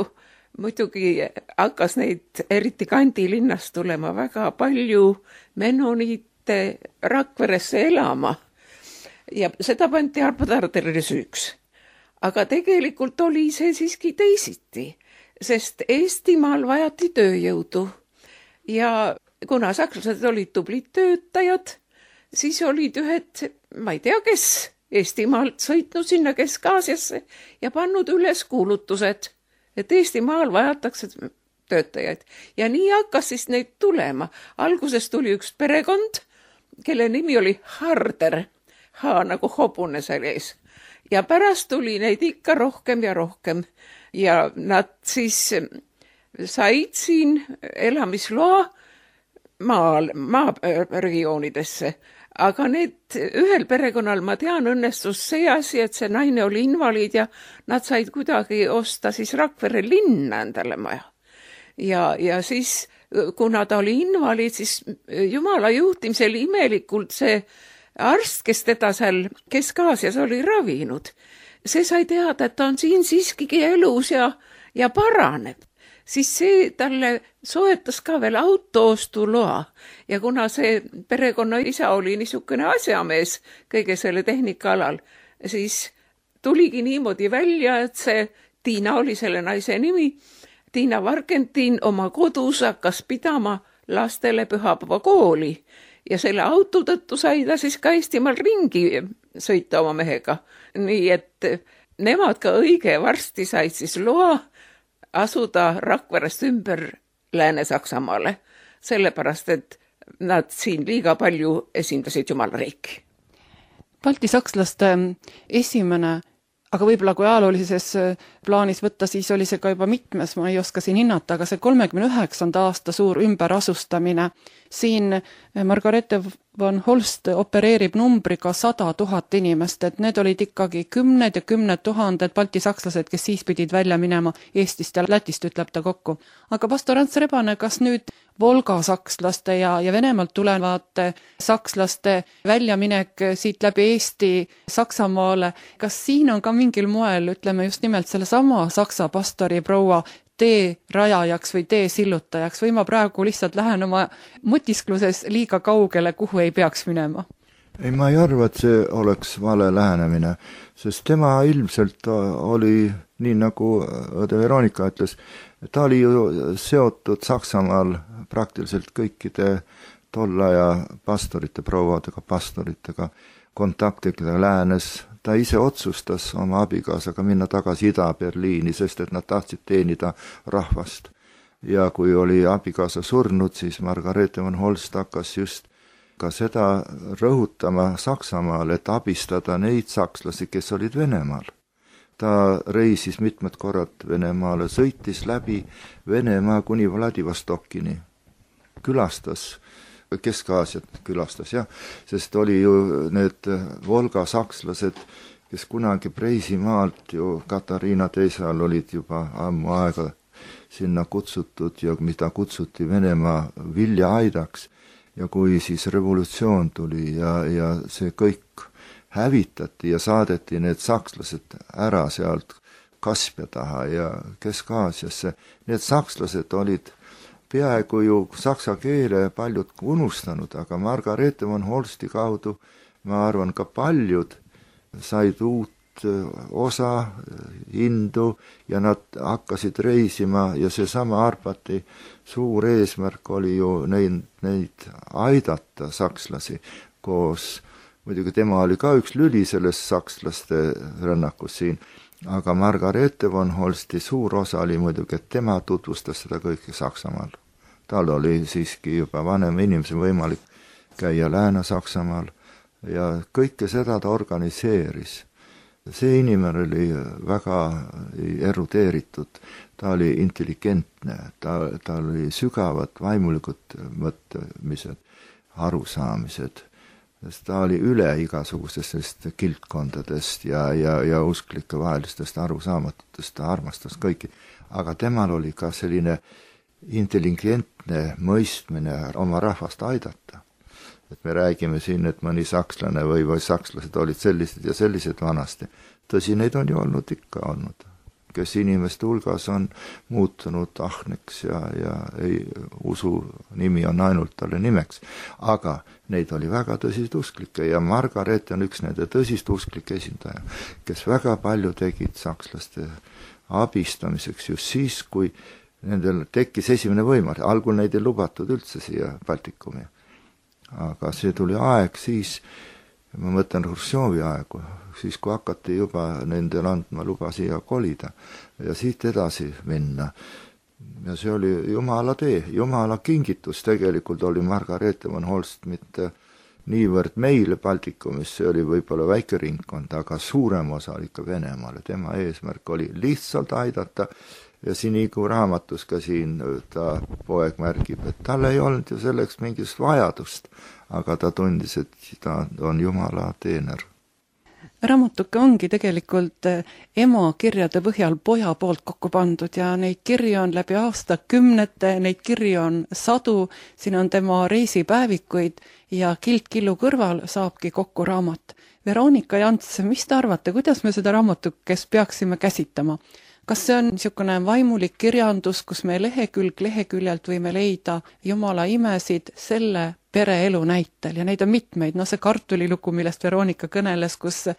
muidugi hakkas neid eriti Kandi linnast tulema väga palju menoniite Rakveresse elama ja seda pandi Arpa Tarderile süüks. Aga tegelikult oli see siiski teisiti, sest Eestimaal vajati tööjõudu ja kuna sakslased olid tublid töötajad, siis olid ühed, ma ei tea kes, Eestimaalt sõitnud sinna Kesk-Aasiasse ja pannud üles kuulutused, et Eestimaal vajatakse töötajaid. Ja nii hakkas siis neid tulema. Alguses tuli üks perekond, kelle nimi oli Harder, nagu hobune sees. Ja pärast tuli neid ikka rohkem ja rohkem. Ja nad siis said siin elamisloa maaregioonidesse. Aga need ühel perekonnal, ma tean, õnnestus see asi, et see naine oli invaliid ja nad said kuidagi osta siis Rakvere linna endale maja. Ja siis, kuna ta oli invaliid, siis Jumala juhtimisel imelikult see arst, kes teda seal Kesk-Aasias oli ravinud, see sai teada, et ta on siin siiskigi elus ja paraneb. Siis see talle soetas ka veel autoostuloa ja kuna see perekonna isa oli niisugune asjamees kõige selle tehnika alal, siis tuligi niimoodi välja, et see Tiina oli selle naise nimi, Tiina Vargentin oma kodus hakkas pidama lastele pühapäeva kooli ja selle auto tõttu sai ta siis ka Eestimaal ringi sõita oma mehega. Nii et nemad ka õige varsti said siis loa asuda Rakverest ümber Lääne-Saksamaale, sellepärast, et nad siin liiga palju esindasid Jumala riiki. Balti sakslaste esimene aga võib-olla kui ajaloolises plaanis võtta, siis oli see ka juba mitmes, ma ei oska siin hinnata, aga see 39. aasta suur ümberasustamine, siin Margarethe von Holst opereerib numbriga 100 000 inimest, et need olid ikkagi kümned ja kümned tuhanded baltisakslased, kes siis pidid välja minema Eestist ja Lätist, ütleb ta kokku. Aga pastor Ants Rebane, kas nüüd Volga sakslaste ja Venemaalt tulevate sakslaste väljaminek siit läbi Eesti Saksamaale, kas siin on ka mingil moel, ütleme just nimelt selle sama saksa pastori proua tee rajajaks või tee sillutajaks või ma praegu lihtsalt lähen oma mõtiskluses liiga kaugele, kuhu ei peaks minema? Ei, ma ei arva, et see oleks vale lähenemine, sest tema ilmselt oli, nii nagu õde Veronika ütles, ta oli ju seotud Saksamaal praktiliselt kõikide tolle aja pastorite, prouadega, pastoritega, kontaktidega läänes. Ta ise otsustas oma abikaasaga minna tagasi Ida-Berliini, sest et nad tahtsid teenida rahvast. Ja kui oli abikaasa surnud, siis Margarethe von Holst hakkas just ka seda rõhutama Saksamaal, et abistada neid sakslasi, kes olid Venemaal. Ta reisis mitmed korrad Venemaale, sõitis läbi Venemaa kuni Vladivostokini, külastas Kesk-Aasiat külastas, jah, sest oli ju need Volga sakslased, kes kunagi Preisimaalt ju Katariina teisal olid juba ammu aega sinna kutsutud ja mida kutsuti Venemaa viljaaidaks. Ja kui siis revolutsioon tuli ja see kõik hävitati ja saadeti need sakslased ära sealt Kaspia taha ja Kesk-Aasiasse, need sakslased olid peaaegu ju saksa keele paljud unustanud, aga Margarethe von Holsti kaudu, ma arvan, ka paljud said uut osa, hindu ja nad hakkasid reisima ja seesama Arpati suur eesmärk oli ju neid aidata sakslasi koos. Muidugi tema oli ka üks lüli sellest sakslaste rännakus siin, aga Margarethe von Holsti suur osa oli muidugi, et tema tutvustas seda kõike Saksamaal. Tal oli siiski juba vanem inimese võimalik käia Lääne-Saksamaal ja kõike seda ta organiseeris. See inimene oli väga erudeeritud, ta oli intelligentne, ta oli sügavad vaimulikud mõtlemised, arusaamised. Ta oli üle igasugustest kiltkondadest ja usklike vahelistest arusaamatutest, ta armastas kõiki. Aga temal oli ka selline intelligentne mõistmine oma rahvast aidata. Et me räägime siin, et mõni sakslane või sakslased olid sellised ja sellised vanasti. Tõsi, neid on ju ikka olnud, kes inimeste hulgas on muutunud ahneks ja ei usu nimi on ainult talle nimeks. Aga neid oli väga tõsist usklikke ja Margarethe on üks nende tõsist usklike esindaja, kes väga palju tegid sakslaste abistamiseks just siis, kui nendel tekkis esimene võimalus. Algul neid ei lubatud üldse siia Baltikumi. Aga see tuli aeg siis, ma mõtlen Hruštšovi aegu, siis kui hakati juba nendel andma luba siia kolida ja siit edasi minna. Ja see oli Jumala tee, Jumala kingitus tegelikult oli Margarethe von Holst mitte niivõrd meile Baltikumis, see oli võib-olla väike ringkond, aga suurem osa ikka Venemaale. Tema eesmärk oli lihtsalt aidata ja siin Igu raamatus ka siin ta poeg märgib, et tal ei olnud ju selleks mingist vajadust, aga ta tundis, et ta on Jumala teener. Raamatuke ongi tegelikult ema kirjade põhjal poja poolt kokku pandud ja neid kirju on läbi aastakümnete, neid kirju on 100, siin on tema reisipäevikuid ja Kild killu kõrval saabki kokku raamat. Veronika Jants, mis te arvate, kuidas me seda raamatukest peaksime käsitama? Kas see on niisugune vaimulik kirjandus, kus me leheküljelt võime leida Jumala imesid selle pereelu näitel ja neid on mitmeid, see kartulilugu, millest Veronika kõneles, kus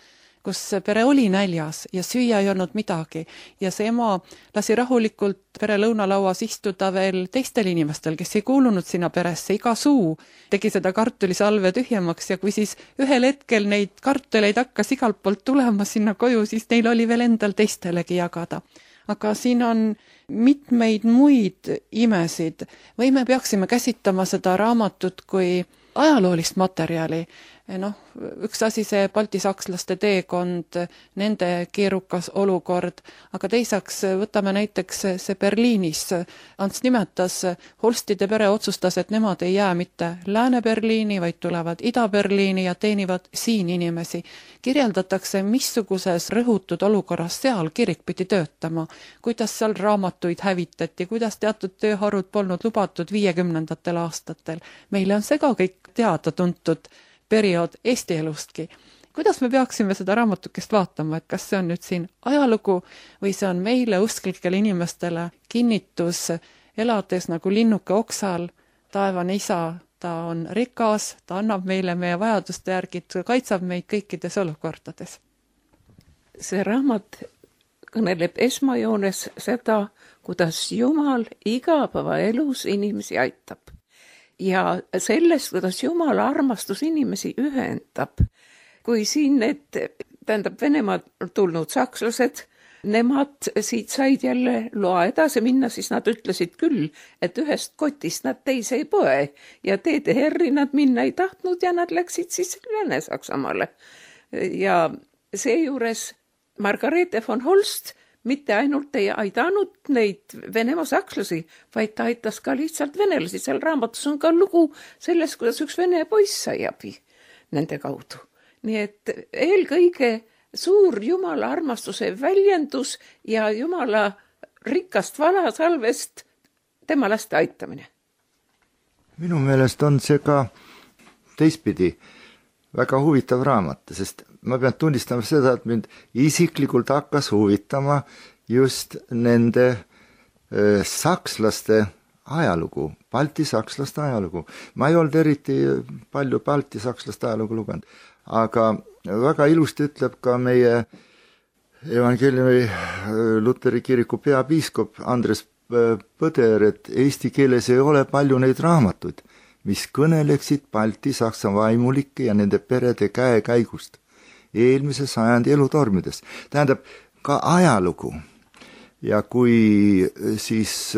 pere oli näljas ja süüa ei olnud midagi ja see ema lasi rahulikult pere lõunalauas istuda veel teistel inimestel, kes ei kuulunud sinna peresse, iga suu tegi seda kartulisalve tühjemaks ja kui siis ühel hetkel neid kartuleid hakkas igalt poolt tulema sinna koju, siis neil oli veel endal teistelegi jagada. Aga siin on mitmeid muid imesid või me peaksime käsitama seda raamatut kui ajaloolist materjali, üks asi see baltisakslaste teekond, nende keerukas olukord, aga teiseks võtame näiteks see Berliinis. Ants nimetas, Holstide pere otsustas, et nemad ei jää mitte Lääne-Berliini, vaid tulevad Ida-Berliini ja teenivad siin inimesi. Kirjeldatakse, missuguses rõhutud olukorras seal kirik pidi töötama, kuidas seal raamatuid hävitati, kuidas teatud tööharud polnud lubatud 50. aastatel. Meile on see ka kõik teada-tuntud periood Eesti elustki. Kuidas me peaksime seda raamatukest vaatama, et kas see on nüüd siin ajalugu või see on meile usklikele inimestele kinnitus, elades nagu linnuke oksal, taevane isa, ta on rikas, ta annab meile meie vajaduste järgi, kaitsab meid kõikides olukordades. See raamat kõneleb esmajoones seda, kuidas Jumal igapäevaelus inimesi aitab. Ja sellest, kuidas Jumala armastus inimesi ühendab. Kui siin Venemaad tulnud sakslased, nemad siit said jälle loa edasi minna, siis nad ütlesid küll, et ühest kotist nad teise ei poe ja DDR-i nad minna ei tahtnud ja nad läksid siis Lääne-Saksamaale. Ja seejuures Margarete von Holst mitte ainult ei aidanud neid Venemaa sakslasi, vaid ta aitas ka lihtsalt venelasi. Seal raamatus on ka lugu sellest, kuidas üks vene poiss sai abi nende kaudu. Nii et eelkõige suur Jumala armastuse väljendus ja Jumala rikkast valasalvest tema laste aitamine. Minu meelest on see ka teistpidi väga huvitav raamat, sest ma pean tunnistama seda, et mind isiklikult hakkas huvitama just nende sakslaste ajalugu, baltisakslaste ajalugu. Ma ei olnud eriti palju baltisakslaste ajalugu lugenud, aga väga ilusti ütleb ka meie evangeeliumi Luteri kiriku peapiiskop Andres Põder, et eesti keeles ei ole palju neid raamatuid, mis kõneleksid Balti-Saksa vaimulike ja nende perede käekäigust eelmise sajandi elutormides. Tähendab, ka ajalugu. Ja kui siis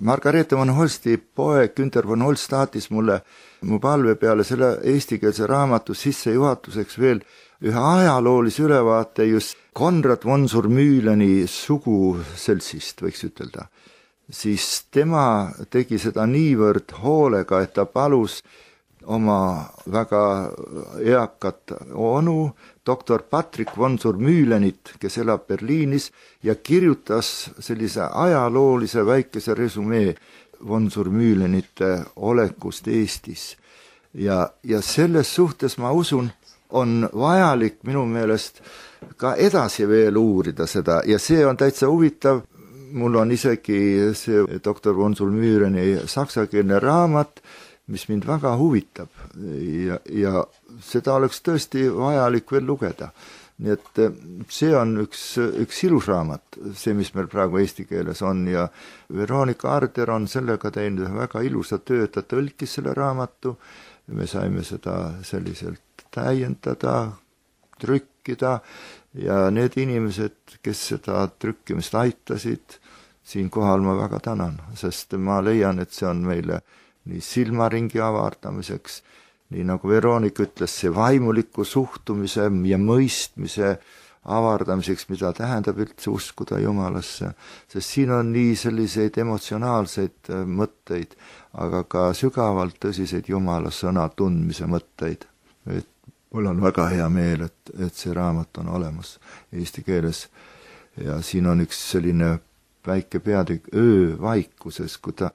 Margarete von Holsti poeg Günter von Holst saatis mulle mu palve peale selle eestikeelse raamatu sissejuhatuseks veel ühe ajaloolise ülevaate just Konrad von Surmühleni suguseltsist, võiks ütelda, siis tema tegi seda niivõrd hoolega, et ta palus oma väga eakat onu, doktor Patrick von Surmühlenit, kes elab Berliinis ja kirjutas sellise ajaloolise väikese resümee von Surmühlenite olekust Eestis. Ja selles suhtes ma usun, on vajalik minu meelest ka edasi veel uurida seda ja see on täitsa huvitav. Mul on isegi see doktor von Surmühleni saksakeelne raamat, mis mind väga huvitab ja seda oleks tõesti vajalik veel lugeda. Nii et see on üks ilus raamat, see, mis meil praegu eesti keeles on ja Veronika Arder on sellega teinud väga ilusa töö, ta tõlkis selle raamatu, me saime seda selliselt täiendada, trükkida ja need inimesed, kes seda trükkimist aitasid, siinkohal ma väga tänan, sest ma leian, et see on meile nii silmaringi avardamiseks, nii nagu Veronika ütles, see vaimuliku suhtumise ja mõistmise avardamiseks, mida tähendab üldse uskuda Jumalasse, sest siin on nii selliseid emotsionaalseid mõtteid, aga ka sügavalt tõsiseid Jumala sõna tundmise mõtteid. Et mul on väga hea meel, et see raamat on olemas eesti keeles ja siin on üks selline väike peatükk öö vaikuses, kui ta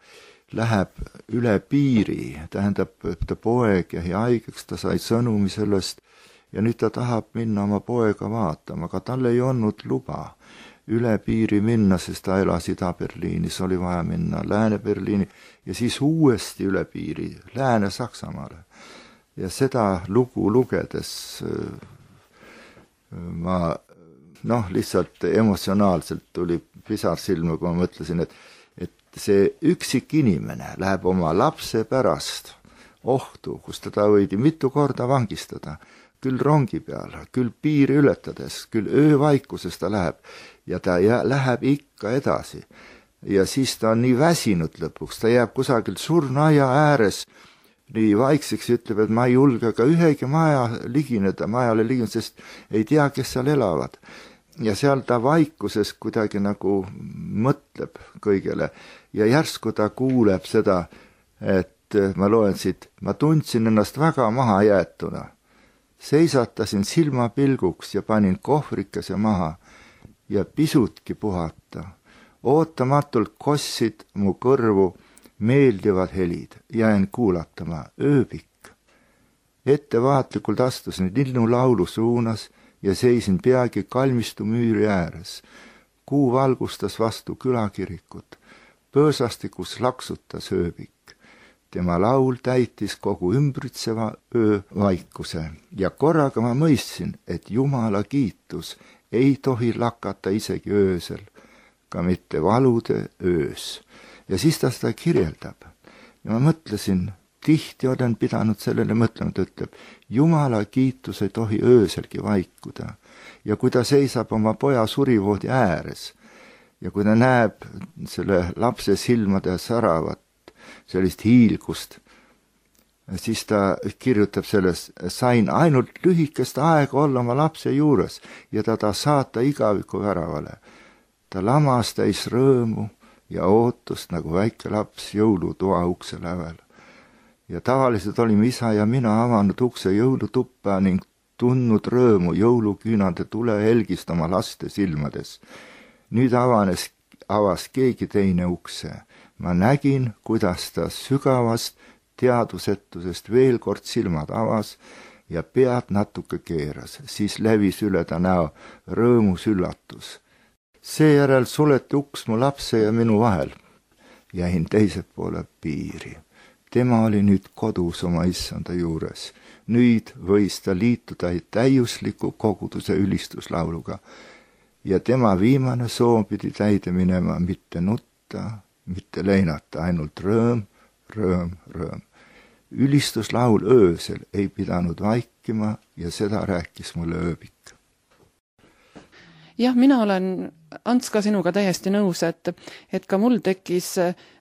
läheb üle piiri, tähendab, ta poeg jäi haigeks, ta sai sõnumi sellest ja nüüd ta tahab minna oma poega vaatama, aga tal ei olnud luba üle piiri minna, sest ta elas Ida-Berliinis, oli vaja minna Lääne-Berliini ja siis uuesti üle piiri Lääne-Saksamaale. Ja seda lugu lugedes ma lihtsalt emotsionaalselt tuli pisar silma, kui ma mõtlesin, et see üksik inimene läheb oma lapse pärast ohtu, kus teda võidi mitu korda vangistada, küll rongi peal, küll piiri ületades, küll öövaikuses ta läheb ja ta läheb ikka edasi. Ja siis ta on nii väsinud lõpuks, ta jääb kusagil surnuaia ääres nii vaikseks ja ütleb, et ma ei julge ka ühegi majale ligineda, sest ei tea, kes seal elavad. Ja seal ta vaikuses kuidagi nagu mõtleb kõigele ja järsku ta kuuleb seda, et ma loen siit, ma tundsin ennast väga maha jäetuna. Seisatasin silmapilguks ja panin kohvrikese maha ja pisutki puhata. Ootamatult kossid mu kõrvu meeldivad helid, jäin kuulatama ööbik. Ettevaatlikult astusin linnulaulu suunas ja seisin peagi kalmistu müüri ääres. Kuu valgustas vastu külakirikut. Põõsastikus laksutas ööbik. Tema laul täitis kogu ümbritseva öö vaikuse ja korraga ma mõistsin, et Jumala kiitus ei tohi lakata isegi öösel, ka mitte valude öös. Ja siis ta seda kirjeldab. Ja ma mõtlesin, tihti olen pidanud sellele mõtlema, ta ütleb, Jumala kiitus ei tohi ööselgi vaikuda. Ja kui ta seisab oma poja surivoodi ääres ja kui ta näeb selle lapse silmade säravat, sellist hiilgust, siis ta kirjutab selles, sain ainult lühikest aega olla oma lapse juures ja ta saata igaviku väravale. Ta lamas täis rõõmu ja ootust nagu väike laps jõulutoa ukse lävel. Ja tavaliselt olime isa ja mina avanud ukse jõulutuppa ning tundnud rõõmu jõuluküünade tulehelgist oma laste silmades. Nüüd avas keegi teine ukse. Ma nägin, kuidas ta sügavast teadusetusest veel kord silmad avas ja pead natuke keeras, siis lävis üle ta näo rõõmus üllatus. Seejärel suleti uks mu lapse ja minu vahel. Jäin teise poole piiri. Tema oli nüüd kodus oma issanda juures. Nüüd võis ta liituda täiusliku koguduse ülistuslauluga ja tema viimane soov pidi täide minema mitte nutta, mitte leinata, ainult rõõm, rõõm, rõõm. Ülistuslaul öösel ei pidanud vaikima ja seda rääkis mulle ööbik. Jah, mina olen, Ants, ka sinuga täiesti nõus, et ka mul tekkis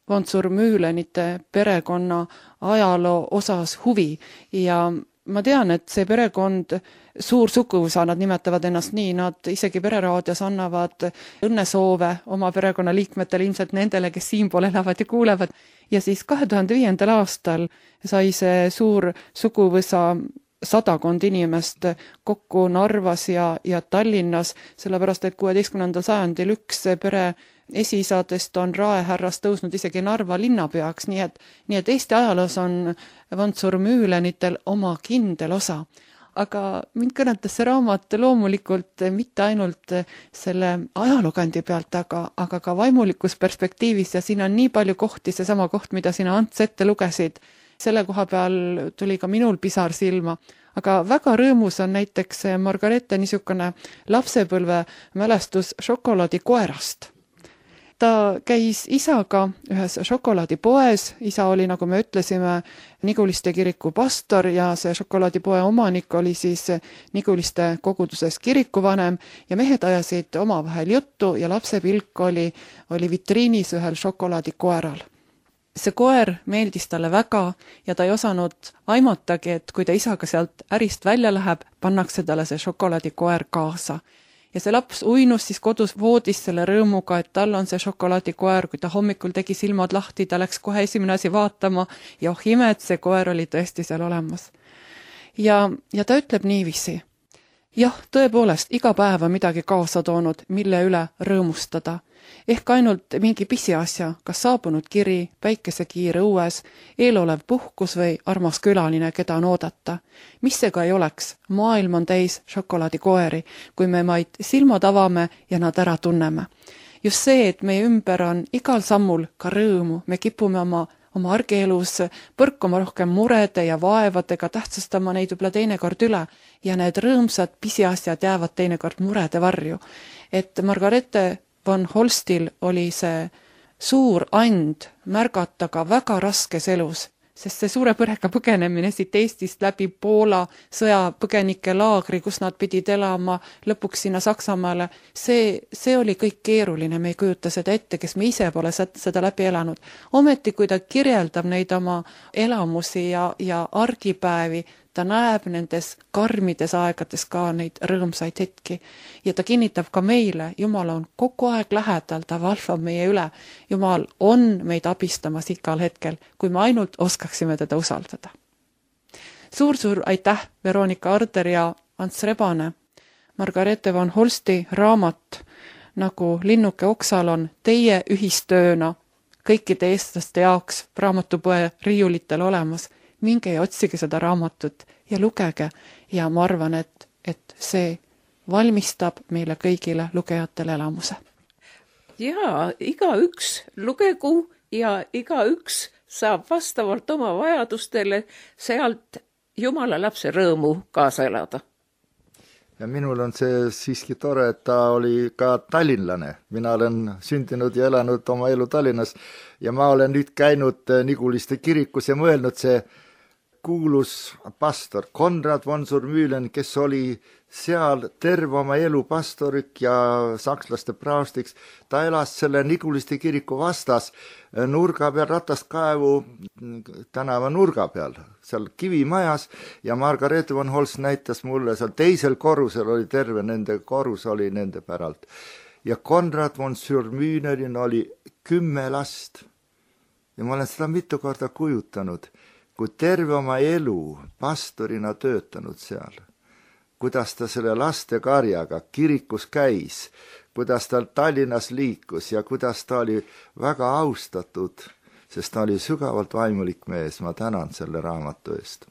von Zur-Mühlenite perekonna ajaloo osas huvi ja ma tean, et see perekond, suur suguvõsa, nad nimetavad ennast nii, nad isegi pereraadios annavad õnnesoove oma perekonna liikmetele, ilmselt nendele, kes siinpool elavad ja kuulevad. Ja siis 2005. aastal sai see suur suguvõsa 100 inimest kokku Narvas ja Tallinnas, sellepärast et 16. sajandil üks pere esiisadest on Raehärrast tõusnud isegi Narva linnapeaks, nii et Eesti ajaloos on von Zur-Mühlenitel oma kindel osa. Aga mind kõnetas see raamat loomulikult mitte ainult selle ajalookandi pealt, aga ka vaimulikus perspektiivis ja siin on nii palju kohti, seesama koht, mida sina Ants ette lugesid, selle koha peal tuli ka minul pisar silma. Aga väga rõõmus on näiteks Margarete niisugune lapsepõlve mälestus šokolaadikoerast. Ta käis isaga ühes šokolaadipoes, isa oli, nagu me ütlesime, Niguliste kiriku pastor ja see šokolaadipoe omanik oli siis Niguliste koguduses kirikuvanem ja mehed ajasid omavahel juttu ja lapse pilk oli vitriinis ühel šokolaadikoeral. See koer meeldis talle väga ja ta ei osanud aimatagi, et kui ta isaga sealt ärist välja läheb, pannakse talle see šokolaadikoer kaasa. Ja see laps uinus siis kodus voodis selle rõõmuga, et tal on see šokolaadikoer, kui ta hommikul tegi silmad lahti, ta läks kohe esimene asi vaatama ja imet, see koer oli tõesti seal olemas. Ja ta ütleb niiviisi. Jah, tõepoolest, iga päev on midagi kaasa toonud, mille üle rõõmustada. Ehk ainult mingi pisiasja, kas saabunud kiri, päikesekiir õues, eelolev puhkus või armas külaline, keda on oodata. Mis see ka ei oleks, maailm on täis šokolaadikoeri, kui me maid silmad avame ja nad ära tunneme. Just see, et meie ümber on igal sammul ka rõõmu, me kipume oma argielus põrkuma rohkem murede ja vaevadega, tähtsustama neid võib-olla teinekord üle ja need rõõmsad pisiasjad jäävad teinekord murede varju. Et Margarete von Holstil oli see suur and märgata ka väga raskes elus sest see suure põrega põgenemine siit Eestist läbi Poola sõjapõgenike laagri, kus nad pidid elama lõpuks sinna Saksamaale, see oli kõik keeruline, me ei kujuta seda ette, kes me ise pole seda läbi elanud. Ometi, kui ta kirjeldab neid oma elamusi ja argipäevi, ta näeb nendes karmides aegades ka neid rõõmsaid hetki ja ta kinnitab ka meile, Jumal on kogu aeg lähedal, ta valvab meie üle. Jumal on meid abistamas igal hetkel, kui me ainult oskaksime teda usaldada. Suur aitäh, Veronika Arder ja Ants Rebane. Margarethe von Holsti raamat nagu Linnuke oksal on teie ühistööna kõikide eestlaste jaoks raamatupoe riiulitel olemas. Minge ja otsige seda raamatut ja lugege ja ma arvan, et see valmistab meile kõigile lugejatele elamuse. Jaa, igaüks lugegu ja igaüks saab vastavalt oma vajadustele sealt Jumala lapse rõõmu kaasa elada. Ja minul on see siiski tore, et ta oli ka tallinlane. Mina olen sündinud ja elanud oma elu Tallinnas ja ma olen nüüd käinud Niguliste kirikus ja mõelnud see kuulus pastor Konrad von Surmühlen, kes oli seal terve oma elu pastorik ja sakslaste praostiks. Ta elas selle Niguliste kiriku vastas nurga peal, Rataskaevu tänava nurga peal, seal kivimajas ja Margarethe von Holst näitas mulle, seal teisel korrusel oli terve nende korrus oli nende päralt. Ja Konrad von Surmühlen oli 10 last. Ja ma olen seda mitu korda kujutanud, kui terve oma elu pastorina töötanud seal, kuidas ta selle laste karjaga kirikus käis, kuidas ta Tallinnas liikus ja kuidas ta oli väga austatud, sest ta oli sügavalt vaimulik mees. Ma tänan selle raamatu eest.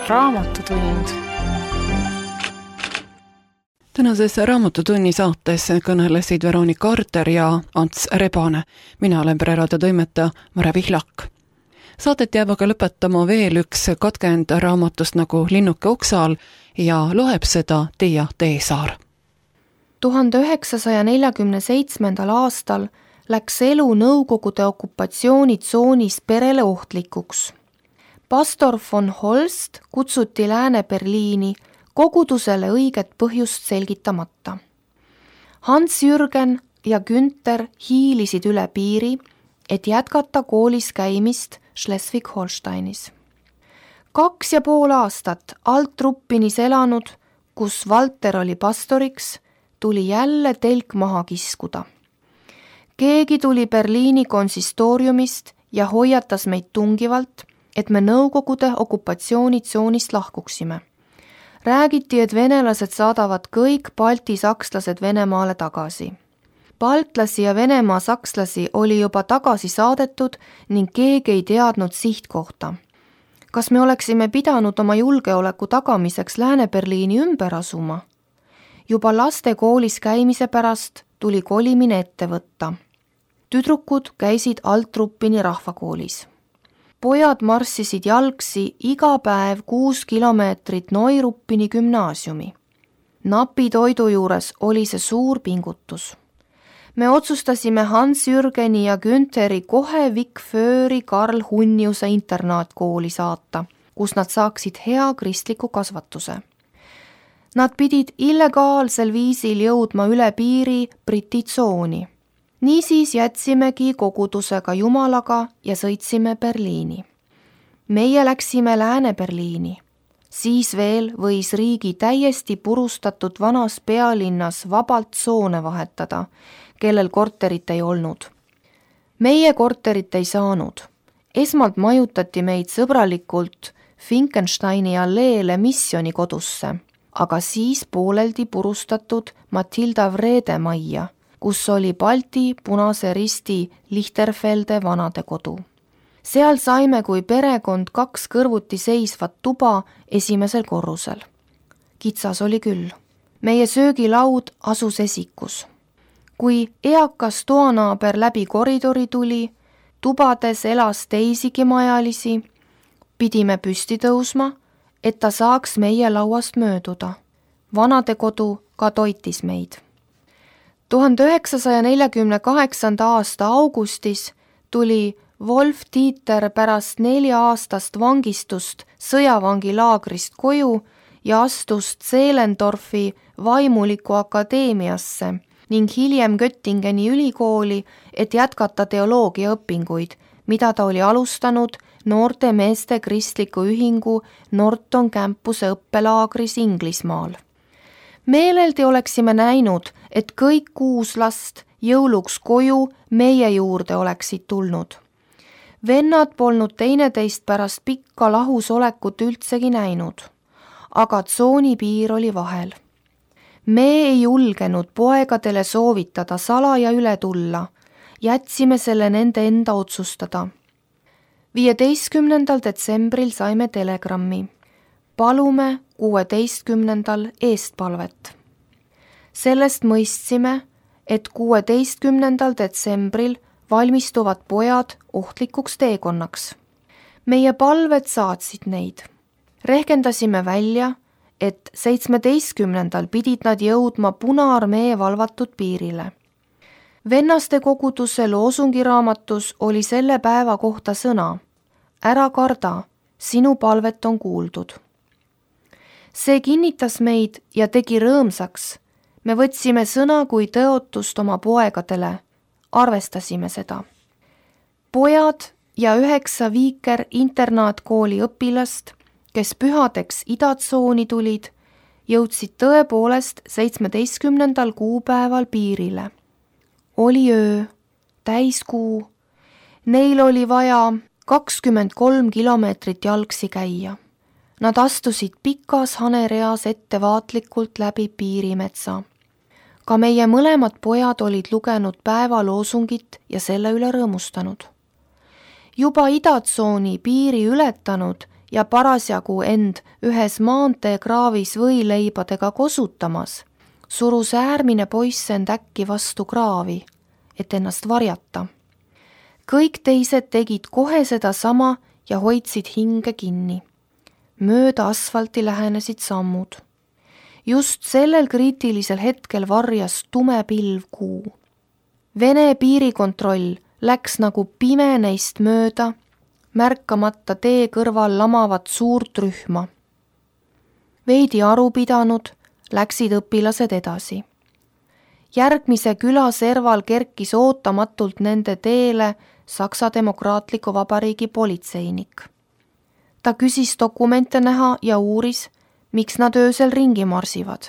Raamatutund. Tänases Raamatutunni saates kõnelesid Veronika Arder ja Ants Rebane. Mina olen Pereraadio toimetaja Mare Pihlak. Saadet jääb aga lõpetama veel üks katkend raamatust nagu Linnuke oksal ja loeb seda Tiia Teesaar. 1947. aastal läks elu Nõukogude okupatsioonitsoonis perele ohtlikuks. Pastor von Holst kutsuti Lääne-Berliini kogudusele õiget põhjust selgitamata. Hans-Jürgen ja Günther hiilisid üle piiri, et jätkata koolis käimist Schleswig-Holsteinis. 2,5 aastat Alt-Ruppinis elanud, kus Walter oli pastoriks, tuli jälle telk maha kiskuda. Keegi tuli Berliini konsistooriumist ja hoiatas meid tungivalt, et me Nõukogude okupatsioonitsoonist lahkuksime. Räägiti, et venelased saadavad kõik Balti sakslased Venemaale tagasi. Baltlasi ja Venemaa sakslasi oli juba tagasi saadetud ning keegi ei teadnud sihtkohta. Kas me oleksime pidanud oma julgeoleku tagamiseks Lääne-Berliini ümber asuma? Juba laste koolis käimise pärast tuli kolimine ette võtta. Tüdrukud käisid Alt-Ruppini rahvakoolis. Pojad marssisid jalgsi iga päev 6 kilomeetrit Neuruppini gümnaasiumi. Napi toidu juures oli see suur pingutus. Me otsustasime Hans-Jürgeni ja Güntheri kohe Vikfööri Karl Hunniuse internaatkooli saata, kus nad saaksid hea kristliku kasvatuse. Nad pidid illegaalsel viisil jõudma üle piiri Briti tsooni. Niisiis jätsimegi kogudusega Jumalaga ja sõitsime Berliini. Meie läksime Lääne-Berliini. Siis veel võis riigi täiesti purustatud vanas pealinnas vabalt tsoone vahetada, kellel korterit ei olnud. Meie korterit ei saanud. Esmalt majutati meid sõbralikult Finkensteini alleele missioni kodusse, aga siis pooleldi purustatud Matilda Vrede majja, kus oli Balti Punase Risti Lichterfelde vanadekodu. Seal saime kui perekond 2 kõrvuti seisvat tuba esimesel korrusel. Kitsas oli küll. Meie söögilaud asus esikus. Kui eakas toanaaber läbi koridori tuli, tubades elas teisigi majalisi, pidime püsti tõusma, et ta saaks meie lauast mööduda. Vanadekodu ka toitis meid. 1948. aasta augustis tuli Wolf-Dieter pärast 4-aastast vangistust sõjavangilaagrist koju ja astus Zehlendorfi vaimuliku akadeemiasse ning hiljem Göttingeni ülikooli, et jätkata teoloogia õpinguid, mida ta oli alustanud noorte meeste kristliku ühingu Norton campuse õppelaagris Inglismaal. Meeleldi oleksime näinud, et kõik 6 last jõuluks koju meie juurde oleksid tulnud. Vennad polnud teineteist pärast pikka lahusolekut üldsegi näinud, aga tsoonipiir oli vahel. Me ei julgenud poegadele soovitada salaja üle tulla, jätsime selle nende enda otsustada. 15. detsembril saime telegrammi. Palume 16. eestpalvet. Sellest mõistsime, et 16. detsembril valmistuvad pojad ohtlikuks teekonnaks. Meie palved saatsid neid. Rehkendasime välja, et 17. pidid nad jõudma Punaarmee valvatud piirile. Vennaste koguduse loosungiraamatus oli selle päeva kohta sõna: ära karda, sinu palvet on kuuldud. See kinnitas meid ja tegi rõõmsaks. Me võtsime sõna kui tõotust oma poegadele, arvestasime seda. Pojad ja 9 Viiker internaatkooli õpilast, kes pühadeks idatsooni tulid, jõudsid tõepoolest 17. kuupäeval piirile. Oli öö, täiskuu. Neil oli vaja 23 kilomeetrit jalgsi käia. Nad astusid pikas hanereas ettevaatlikult läbi piirimetsa. Ka meie mõlemad pojad olid lugenud päevaloosungit ja selle üle rõõmustanud. Juba idatsooni piiri ületanud ja parasjagu end ühes maanteekraavis võileibadega kosutamas, surus äärmine poiss end äkki vastu kraavi, et ennast varjata. Kõik teised tegid kohe seda sama ja hoidsid hinge kinni. Mööda asfalti lähenesid sammud. Just sellel kriitilisel hetkel varjas tume pilv kuu. Vene piirikontroll läks nagu pime neist mööda, märkamata tee kõrval lamavat suurt rühma. Veidi aru pidanud, läksid õpilased edasi. Järgmise küla serval kerkis ootamatult nende teele Saksa Demokraatliku Vabariigi politseinik. Ta küsis dokumente näha ja uuris, miks nad öösel ringi marsivad.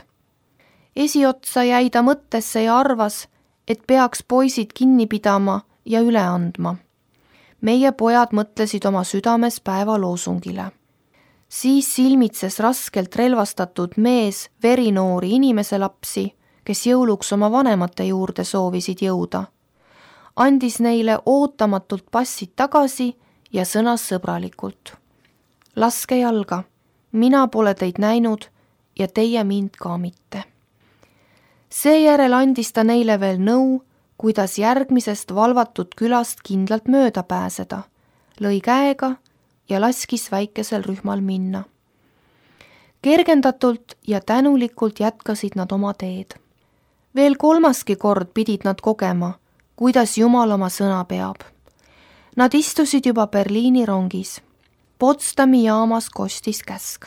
Esiotsa jäi ta mõttesse ja arvas, et peaks poisid kinni pidama ja üle andma. Meie pojad mõtlesid oma südames päevaloosungile. Siis silmitses raskelt relvastatud mees verinoori inimese lapsi, kes jõuluks oma vanemate juurde soovisid jõuda. Andis neile ootamatult passid tagasi ja sõnas sõbralikult: laske jalga, mina pole teid näinud ja teie mind ka mitte. Seejärel andis ta neile veel nõu, kuidas järgmisest valvatud külast kindlalt mööda pääseda, lõi käega ja laskis väikesel rühmal minna. Kergendatult ja tänulikult jätkasid nad oma teed. Veel 3. kord pidid nad kogema, kuidas Jumal oma sõna peab. Nad istusid juba Berliini rongis. Potsdami jaamas kostis käsk.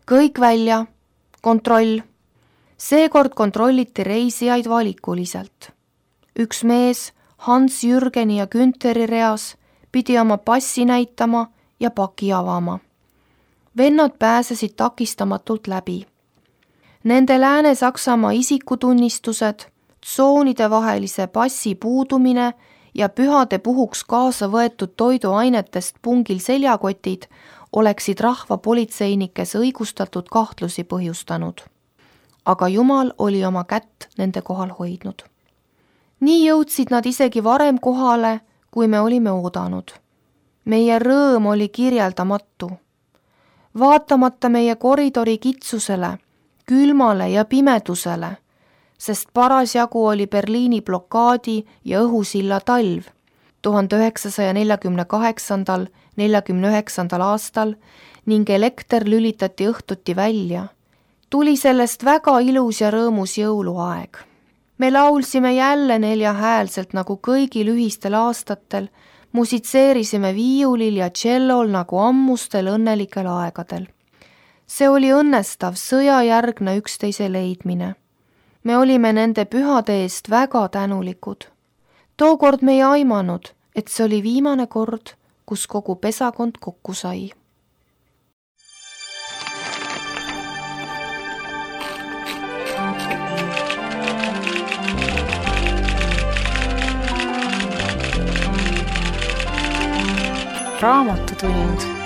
Kõik välja, kontroll. Seekord kontrolliti reisijaid valikuliselt. Üks mees Hans Jürgeni ja Güntheri reas pidi oma passi näitama ja paki avama. Vennad pääsesid takistamatult läbi. Nende Lääne-Saksamaa isikutunnistused, tsoonide vahelise passi puudumine ja pühade puhuks kaasa võetud toiduainetest pungil seljakotid oleksid rahvapolitseinikes õigustatud kahtlusi põhjustanud. Aga Jumal oli oma kätt nende kohal hoidnud. Nii jõudsid nad isegi varem kohale, kui me olime oodanud. Meie rõõm oli kirjeldamatu. Vaatamata meie koridori kitsusele, külmale ja pimedusele, sest parasjagu oli Berliini blokaadi ja õhusilla talv 1948–49 aastal ning elekter lülitati õhtuti välja, tuli sellest väga ilus ja rõõmus jõuluaeg. Me laulsime jälle 4 häälselt nagu kõigil ühistel aastatel, musitseerisime viiulil ja tšellol nagu ammustel õnnelikel aegadel. See oli õnnestav sõjajärgne üksteise leidmine. Me olime nende pühade eest väga tänulikud. Tookord me ei aimanud, et see oli viimane kord, kus kogu pesakond kokku sai. Raamatutund